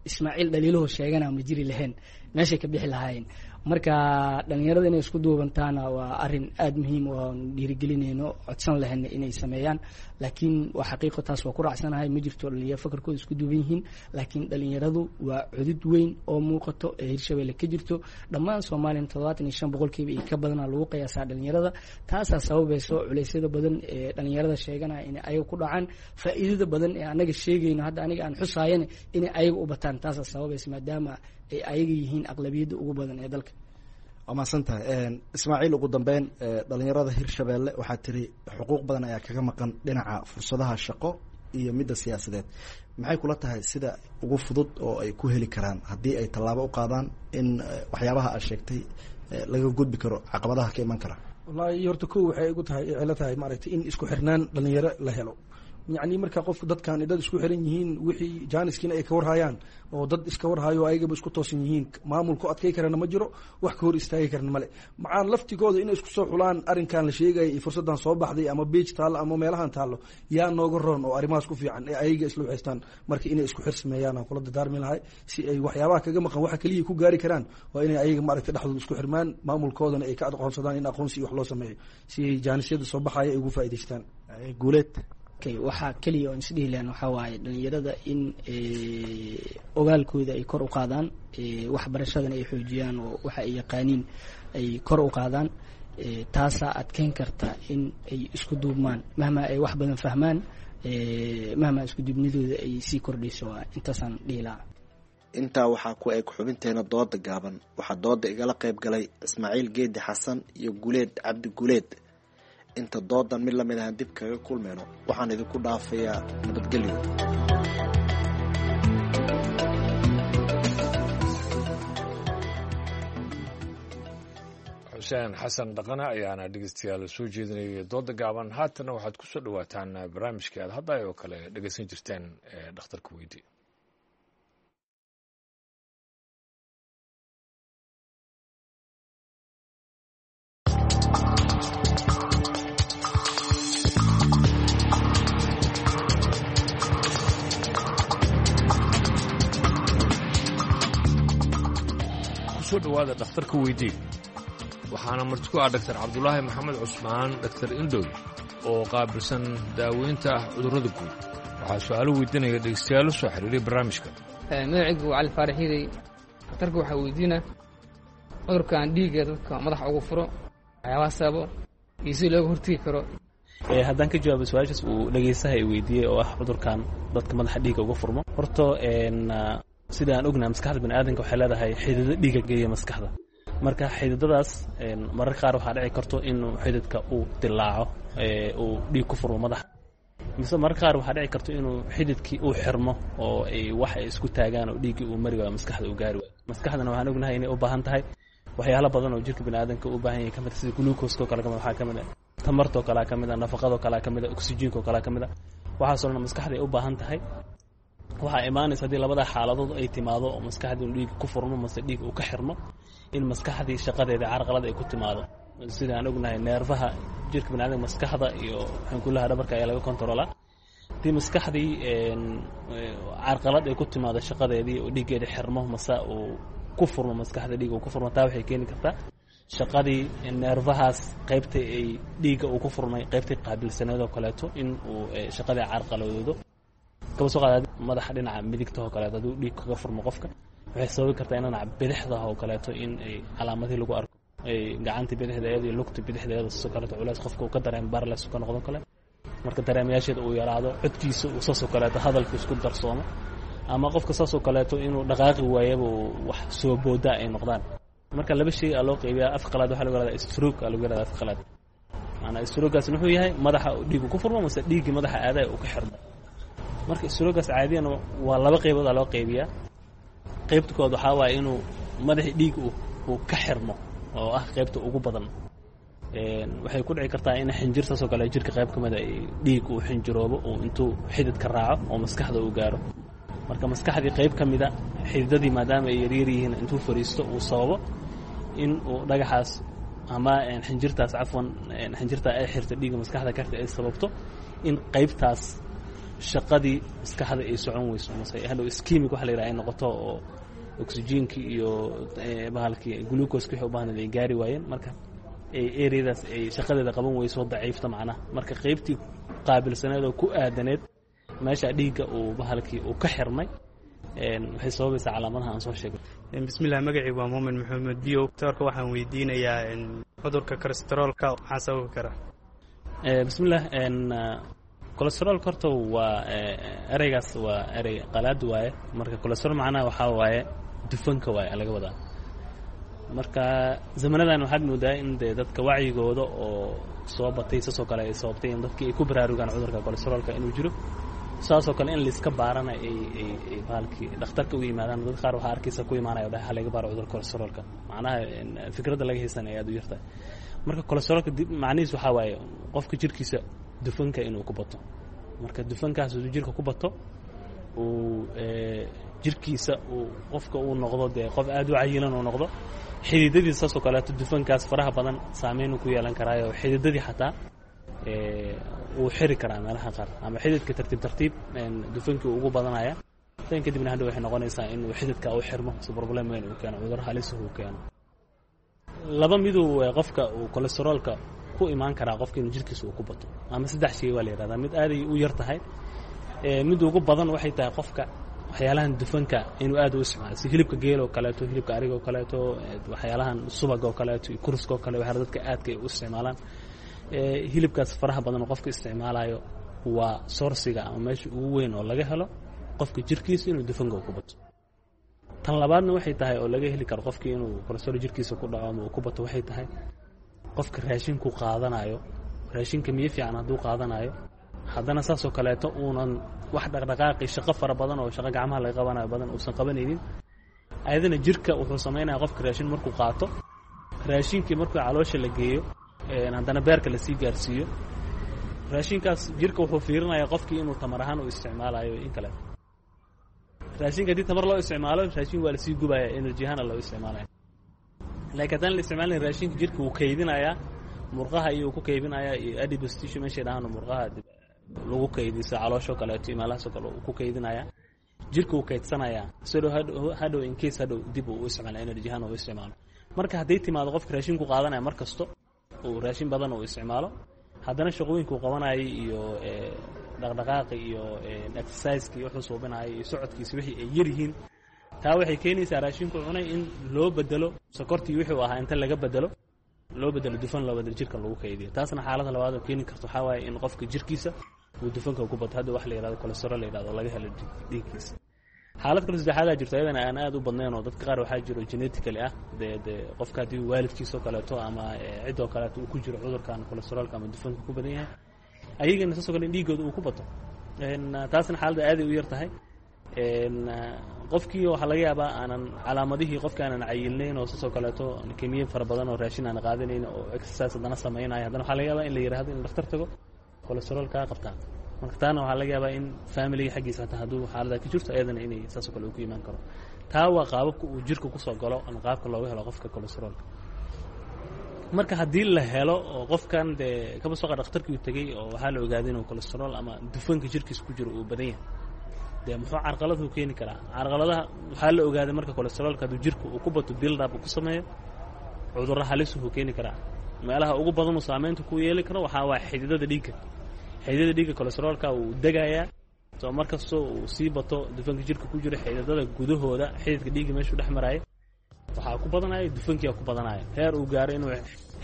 Ismaaciil dhaliilaho sheegana ma jiri lahayn, meeshay ka bixi lahaayeen. Marka dhalinyarada inay isku duubantaana waa arin aada muhiim oo aan dhiirigelinayno, codsan lahayna inay sameeyaan. Laakiin waa xaqiiqo, taas waa ku raacsanahay, ma jirto dhalinyaro fakarkooda isku duuban yihiin. Laakiin dhalinyaradu waa cudud weyn oo muuqato ee Hirshabelle ka jirto. Dhammaan Soomaaliya toddobaatan iyo shan boqolkiiba iyo ka badana lagu qiyaasaa dhalinyarada. Taasaa sababayso culeysyada badan ee dhalinyarada sheeganaya inay ayaga ku dhacaan, faa'iidada badan ee anaga sheegayno hadda aniga aan xusaayana inay ayaga u bataan. Taasaa sababaysa maadaama ay ayaga yihiin aqlabiyadda ugu badan ee dalka. Waa mahadsan tahay Ismaaciil. Ugu dambeyn, dhalinyarada Hirshabelle waxaa tiri xuquuq badan ayaa kaga maqan dhinaca fursadaha shaqo iyo midda siyaasadeed. Maxay kula tahay sida ugu fudud oo ay ku heli karaan haddii ay tallaabo u qaadaan in waxyaabaha aad sheegtay laga gudbi karo caqabadaha ka iman kara? Wallaahi horta ko waxay igu tahay cilo tahay maaragtay in isku xirnaan dhalinyaro la helo. Yacni marka qofku dadkan dad isku xiran yihiin, wixii jaaniskiina ay ka warhayaan oo dad iska warhayo, ayagaba isku toosan yihiin, maamulku adkay karana ma jiro, wax ka hor istaagi karana male. Macaan laftigooda inay isku soo xulaan arrinkan la sheegaya iyo fursaddan soo baxday ama beij taallo ama meelahan taallo yaa nooga roon oo arrimahaas ku fiican ee ayaga isla waxaystaan. Marka inay isku xir sameeyaan aan kula dardaarmi lahay si ay waxyaabaha kaga maqan waxa kaliya ku gaari karaan waa inay ayaga maaragtay dhexdooda isku xirmaan, maamulkoodana ay ka aqoonsadaan in aqoonsi iyo wax loo sameeyo si ay jaanisyada soo baxaya ay ugu faa'iidaystaan. Guuleed. Waxaa keliya oon isdhihi lahan waxaa waaye dhalinyarada in ogaalkooda ay kor u qaadaan, waxbarashadana ay xoojiyaan oo waxa ay yaqaaniin ay kor u qaadaan. Taasaa adkeyn karta in ay isku duubmaan mahma ay wax badan fahmaan, mahma isku duubnidooda ay sii kordhayso. Waa intaasaan dhihi lahaa. Intaa waxaa ku eg xubinteena dooda gaaban. Waxaa dooda igala qayb galay Ismaaciil Geedi Xasan iyo Guleed Cabdi Guleed. Inta doodan mid lamid ahaan dib kaga kulmayno, waxaan idinku dhaafayaa nabadgelyo. Xuseen Xasan Dhaqane ayaana dhegeystayaal soo jeedinayay dooda gaaban. Haatana waxaad ku soo dhawaataan barnaamijkii aad hadda oo kale dhegeysan jirteen ee dhakhtarka weydi. Kusoo dhawaada dhakhtarka weydii. Waxaana marti ku ah Dhaktar Cabdulaahi Maxamed Cusmaan, Dhaktar Indhow, oo qaabilsan daaweynta cudurrada guud. Waxaa su-aalo weydiinaya dhegeystayaal soo xiriiray barnaamijka. Magacaygu waa Cali Faarax Hiiday. Dhakhtarka waxaa weydiina cudurkan dhiigga dadka madaxa ugu furo, waxyaabaha sababo iyo si looga hortegi karo. Haddaan ka jawaabo su-aashaas uu dhegeystaha i weydiiyey oo ah cudurkan dadka madaxa dhiigga uga furmo, horta sida aan ognahay maskaxda baniaadanka waxay leedahay xidido dhiigga geeya maskaxda. Marka xididadaas mararka qaar waxaa dhici karto inuu xididka uu dilaaco, uu dhiig ku furmo madaxa, mise mararka qaar waxaa dhici karto inuu xididkii uu xirmo oo ay wax ay isku taagaan oo dhiiggii uu mari waayo, maskaxda uu gaari waayo. Maskaxdana waxaan ognahay inay u baahan tahay waxyaalo badan oo jirka baniaadanka u baahan yahay kamid, sida glucose oo kale kamid, waxaa kamid ah tamartoo kalea kamid ah, nafaqadoo kalea kamid ah, oxygenka oo kalea kamid ah. Waxaasoo dhan maskaxda ay u baahan tahay. Waxaa imaanaysa haddii labada xaaladood ay timaado oo maskaxdii inu dhiig ku furmo mase dhiig uu ka xirmo, in maskaxdii shaqadeeda carqalad ay ku timaado. Sida aan ognahay neerfaha jirka baniaadamka maskaxda iyo xankulaha dhabarka ayaa laga kontaroolaa. Haddii maskaxdii carqalad ay ku timaado shaqadeedii oo dhiiggeeda xirmo mase uu ku furmo maskaxda dhiig uu ku furmo, taa waxay keeni kartaa shaqadii neerfahaas qaybta ay dhiigga uu ku furmay qaybtay qaabilsaneed oo kaleeto in uu shaqadii carqaladoodo. Kaba soo qaada madaxa dhinaca midigta oo kaleeto hadduu dhiig kaga furmo qofka, waxay sababi kartaa in dhinaca bidixda oo kaleeto in ay calaamadihii lagu arko, ay gacanta bidixdeeda iyo lugta bidixdeeda sidoo kaleeto culays qofka uu ka dareemo, barles ka noqdo kale. Marka dareemayaasheeda uu yaraado, codkiisa uu saasoo kaleeto hadalku isku darsoomo, ama qofka saasoo kaleeto inuu dhaqaaqi waayaba wax soo booda ay noqdaan. Marka laba shay aa loo qaybiyaa. Af qalaad waxaa lagu yahahdaa stroke aa lagu yahahdaa af qalaad. Maanaa strokegaas wuxuu yahay madaxa dhiigu ku furmo mase dhiiggii madaxa aadaya uu ka xirmo. Marka strokegaas caadiyan waa laba qaybood aa loo qaybiyaa. Qaybta kood waxaa waaye inuu madaxii dhiig uu ka xirmo oo ah qaybta ugu badan. Waxay ku dhici kartaa in xinjir saasoo kale jirka qayb ka mid a dhiig uu xinjiroobo uu intuu xididka raaco oo maskaxda uu gaaro. Marka maskaxdii qayb ka mida xididadii maadaama ay yaryar yihiin intuu fariisto uu sababo in uu dhagaxaas ama xinjirtaas, cafwan, xinjirtaa ay xirto dhiigga maskaxda karta ay sababto in qaybtaas shaqadii maskaxda ay socon weyso mase hadhow ischemic waxa la yidhaha ay noqoto oo oxygenkii iyo bahalkii glucoska wixii u baahnayd ay gaari waayeen. Marka areadaas ay shaqadeeda qaban weyso, daciifta macnaha. Marka qaybtii qaabilsaneed oo ku aadaneed meesha dhiigga uu bahalkii uu ka xirmay waxay sababaysaa calaamadaha aan soo sheegay. Bismillah, magacii waa Muumin Maxamed Biyow. Doctorka waxaan weydiinayaa cudurka kolestaroolka maxaa sababi kara? Bismillah, kolestaroolka horta waa ereygaas waa erey qalaad waaye. Marka kolestarool macnaha waxaa waaye dufanka waaye laga wadaa. Marka zamanadan waxaad moodaa in dee dadka wacyigooda oo soo batay saasoo kale ay sababtay in dadkii ay ku baraarugaan cudurka kolestaroolka inuu jiro, saasoo kale in laiska baarana ay ay ay bahalkii dhakhtarka u yimaadaan. Dad qaar waxaa arkaysa ku imaanaya dhaha laga baaro cudurka kolestaroolka, macnaha fikradda laga haysan ay aad u yartahay. Marka kolestaroolka macnihiis waxaa waaye qofka jirkiisa dufanka inuu ku bato. Marka dufankaas uu jirka ku bato, uu jirkiisa uu qofka uu noqdo dee qof aad u cayilan uu noqdo, xididadiisa saasoo kaleeto dufankaas faraha badan saameyn ku yeelan karaayo, xididadii xataa wuu xiri karaa meelaha qaar, ama xididka tartiib tartiib dufankii ugu badanaya tan kadibna hadhow waxay noqonaysaa inuu xididka u xirmo, si problem weyn uu keeno, cudur halis uu keeno. Laba miduu qofka uu kolestaroolka ku imaan karaa, qofka inuu jirkiisa uu ku bato, ama saddex shay waa la yihahdaa. Mid aaday u yar tahay, mid ugu badan waxay tahay qofka waxyaalahan dufanka inuu aad u isticmaalo, si hilibka geel oo kaleeto, hilibka ariga oo kaleeto, waxyaalahan subaga oo kaleeto iyo kurska oo kale, waxyaala dadka aadka ay u isticmaalaan. Hilibkaas faraha badan oo qofka isticmaalayo waa sourciga ama meesha ugu weyn oo laga helo qofka jirkiisa inuu dufanka ku bato. Tan labaadna waxay tahay oo laga heli karo qofkii inuu kolestarool jirkiisa ku dhaco ama uu ku bato, waxay tahay qofka raashinku qaadanayo, raashinka miyo fiican hadduu qaadanayo, haddana saasoo kaleeto uunan wax dhaqdhaqaaqi shaqo fara badan oo shaqo gacmaha laga qabanayo badan uusan qabanaynin, ayadana jirka wuxuu samaynaya qofka raashin markuu qaato, raashinkii markuu caloosha la geeyo, haddana beerka lasii gaarsiiyo, raashinkaas jirka wuxuu fiirinayaa qofkii inuu tamar ahaan u isticmaalayo in kale. Raashinka haddii tamar loo isticmaalo, raashin waa lasii gubaya, energy ahaana loo isticmaalaya. Laakiin haddaan la isticmaalin, raashinka jirka wuu kaydinayaa, murqaha iyuu ku kaydinayaa iyo adipose tissue meeshay dhahaan murqaha lagu kaydiso, calooshoo kaleeto iyo meelahaasoo kale uu ku kaydinayaa, jirka wuu kaydsanayaa sidoo hadhow hadhow in case hadhow dib uu u isticmaalo, energy ahaan uu isticmaalo. Marka hadday timaado qofka raashinku qaadanaya mar kasto uu raashin badan uu isticmaalo, haddana shaqooyinkuu qabanayay iyo dhaqdhaqaaqi iyo exerciseki iyo wuxuu suubinayay iyo socodkiisa wixii ay yar yihiin, taa waxay keenaysaa raashinku cunay in loo bedelo sokortii wuxuu ahaa inta laga bedelo loo bedelo dufan, loo bedelo jirka lagu kaydiyo. Taasna xaaladda labaad oo keeni karto waxaa waaye in qofka jirkiisa uu dufanka ku bato, hadda wax la yihahdo kolestarool la yihahdo laga helo dhiiggiisa. Xaalad kale saddexaadaa jirto, ayadana aan aad u badnayn, oo dadka qaar waxaa jiro genetically ah, dee dee qofka haddii waalidkiisoo kaleeto ama ciddoo kaleeto uu ku jiro cudurkan kolestaroolka ama dufanka ku badan yahay, ayagana saasoo kale in dhiiggooda uu ku bato. Taasna xaaladda aaday u yar tahay. Qofkii waxaa laga yaabaa aanan calaamadihii qofka aanan cayilnayn oo saasoo kaleeto kemiye fara badan oo raashin aan qaadanayn oo exercise haddana samaynayo, haddana waxaa laga yaabaa in la yihahdo in dhakhtar tago kolestaroolkaa qabtaa. Marka taana waxaa laga yaabaa in familiga xaggiisa hataa hadduu xaalada ka jirto ayadana inay saasoo kale uu ku imaan karo. Taa waa qaababka uu jirka kusoo galo ama qaabka looga helo qofka kolestaroolka. Marka haddii la helo oo qofkan dee kaba soqa dhakhtarkii uu tegey oo waxaa la ogaaday inuu kolestarool ama dufanka jirkiisa ku jiro uu badan yahay, dee muxuu carqaladuu keeni karaa? Carqaladaha waxaa la ogaaday marka kolestaroolka hadduu jirka uu ku bato, build up uu ku sameeyo, cudurro halis wuxuu keeni karaa. Meelaha ugu badan uu saameynta ku yeeli karo waxaa waa xididada dhiigga. Xididada dhiigga kolestaroolka wuu degayaa, soo mar kastoo uu sii bato dufanka jirka ku jiro xididada gudahooda, xididka dhiigga meeshuu dhex maraayo waxaa ku badanaya dufankiia ku badanaya, heer uu gaaro inuu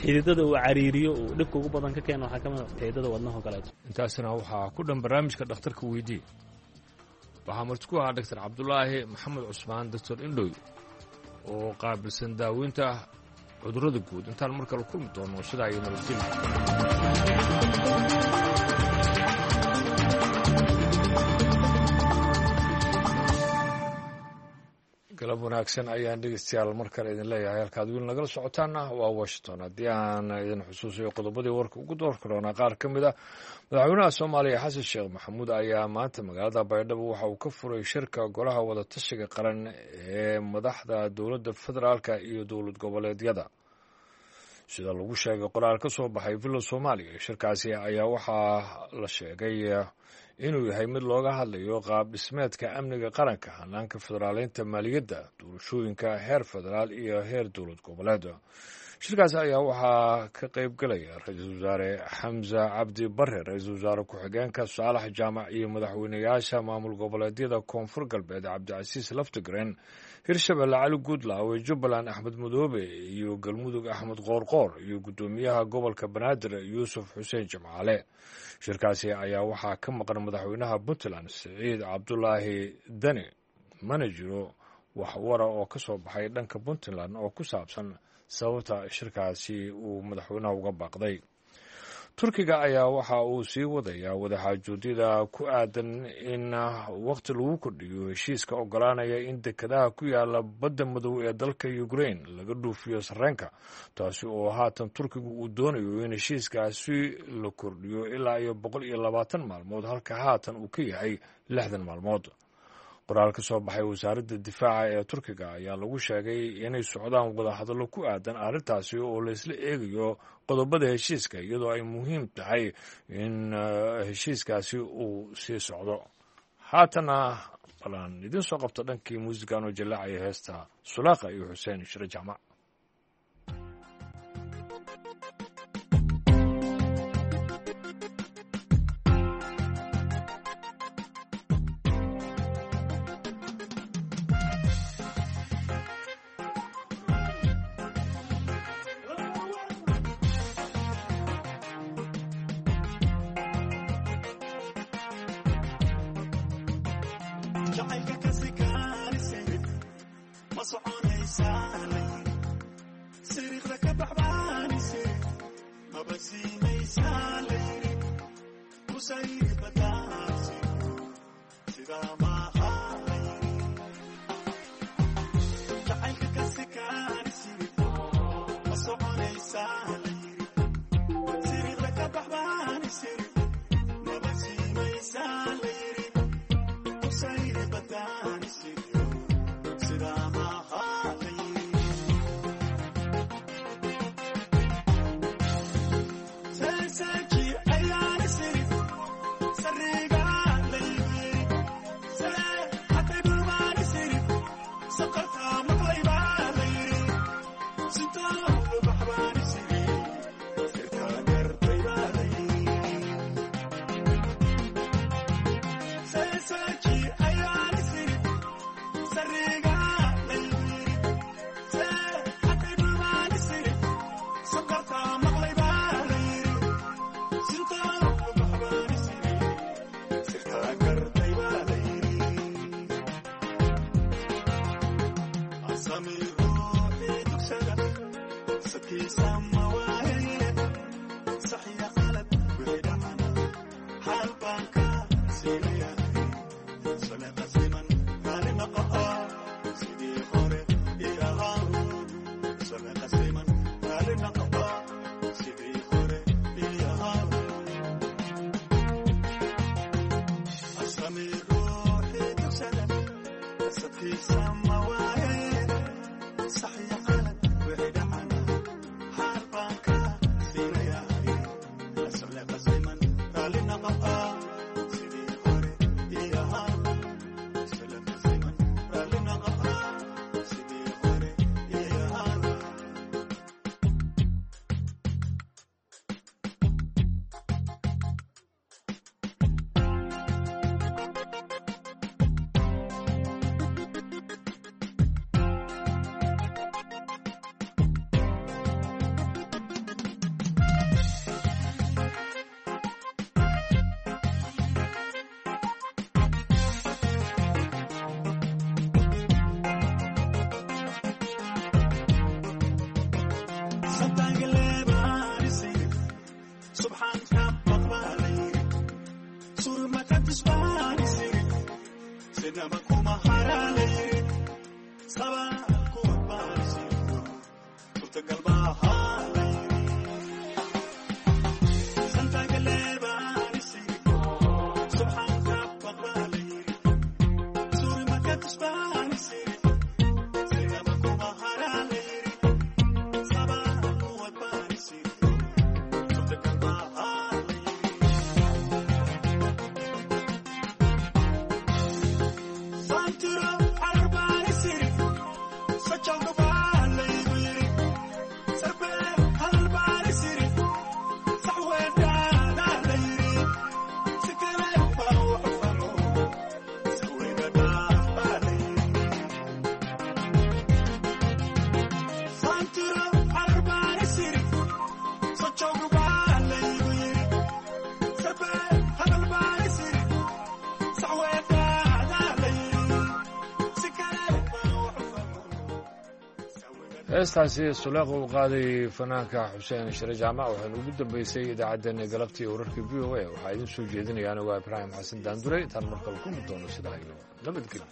xididada uu cariiriyo, uu dhibka ugu badan ka keeno waxaa ka mid a xididada wadnahoo kaleeto. Intaasina waxaa ku dhan barnaamijka dhakhtarka weydii. Waxaa marti ku ahaa doctor Cabdulaahi Maxamed Cusmaan, doctor Indhoy, oo qaabilsan daaweynta cudurrada guud. Intaan mar kale kulmi doono, sidaa iyo nabadgelyo. Galab wanaagsan ayaan dhegeystayaal mar kale idin leeyahay. Halkaad weli nagala socotaana waa Washington. Haddii aan idin xusuusayo qodobadii warka ugu door karoonaa qaar ka mid ah, madaxweynaha Soomaaliya Xasan Sheekh Maxamuud ayaa maanta magaalada Baydhabo waxa uu ka furay shirka golaha wadatashiga qaran ee madaxda dowladda federaalka iyo dowlad goboleedyada. Sida lagu sheegay qoraal ka soo baxay Villa Soomaaliya, shirkaasi ayaa waxaa la sheegay inuu yahay mid looga hadlayo qaab dhismeedka amniga qaranka, hanaanka federaaleynta maaliyadda, doorashooyinka heer federaal iyo heer dowlad goboleed. Shirkaasi ayaa waxaa ka qayb galaya ra-iisul wasaare Xamse Cabdi Bare, ra-iisul wasaare ku-xigeenka Saalax Jaamac iyo madaxweynayaasha maamul goboleedyada Koonfur Galbeed Cabdicasiis Laftigreen, Hirshabelle Cali Guudlaawe, Jubbaland Axmed Madoobe iyo Galmudug Axmed Qoorqoor iyo guddoomiyaha gobolka Banaadir Yuusuf Xuseen Jimcaale. Shirkaasi ayaa waxaa ka maqan madaxweynaha Puntland Siciid Cabdulaahi Dani. Mana jiro wax wara oo ka soo baxay dhanka Puntland oo ku saabsan sababta shirkaasi uu madaxweynaha uga baaqday. Turkiga ayaa waxa uu sii wadayaa wadaxaajoodida ku aadan in waqti lagu kordhiyo heshiiska ogolaanaya in dekedaha ku yaala badda madow ee dalka Ukraine laga dhuufiyo sarreenka, taasi oo haatan Turkigu uu doonayo in heshiiskaasi la kordhiyo ilaa iyo boqol iyo labaatan maalmood, halka haatan uu ka yahay lixdan maalmood. Qoraal ka soo baxay wasaaradda difaaca ee Turkiga ayaa lagu sheegay inay socdaan wadahadallo ku aadan arrintaasi oo laysla eegayo qodobada heshiiska, iyadoo ay muhiim tahay in heshiiskaasi uu sii socdo. Haatana balaan idiin soo qabto dhankii muusigan oo jallaacaya heesta Sulaaqa iyo Xuseen Shire Jaamac. Heestaasi Suleeqa uu qaaday fanaanka Xuseen Shire Jaamac waxaynu ugu dambeysay idaacaddeenna galabtii wararka V O A. Waxaa idiin soo jeedinaya anigu ibraahim Xasan Daandure. Intaan markale kulmi doono, sidaa iyo nabadgelyo.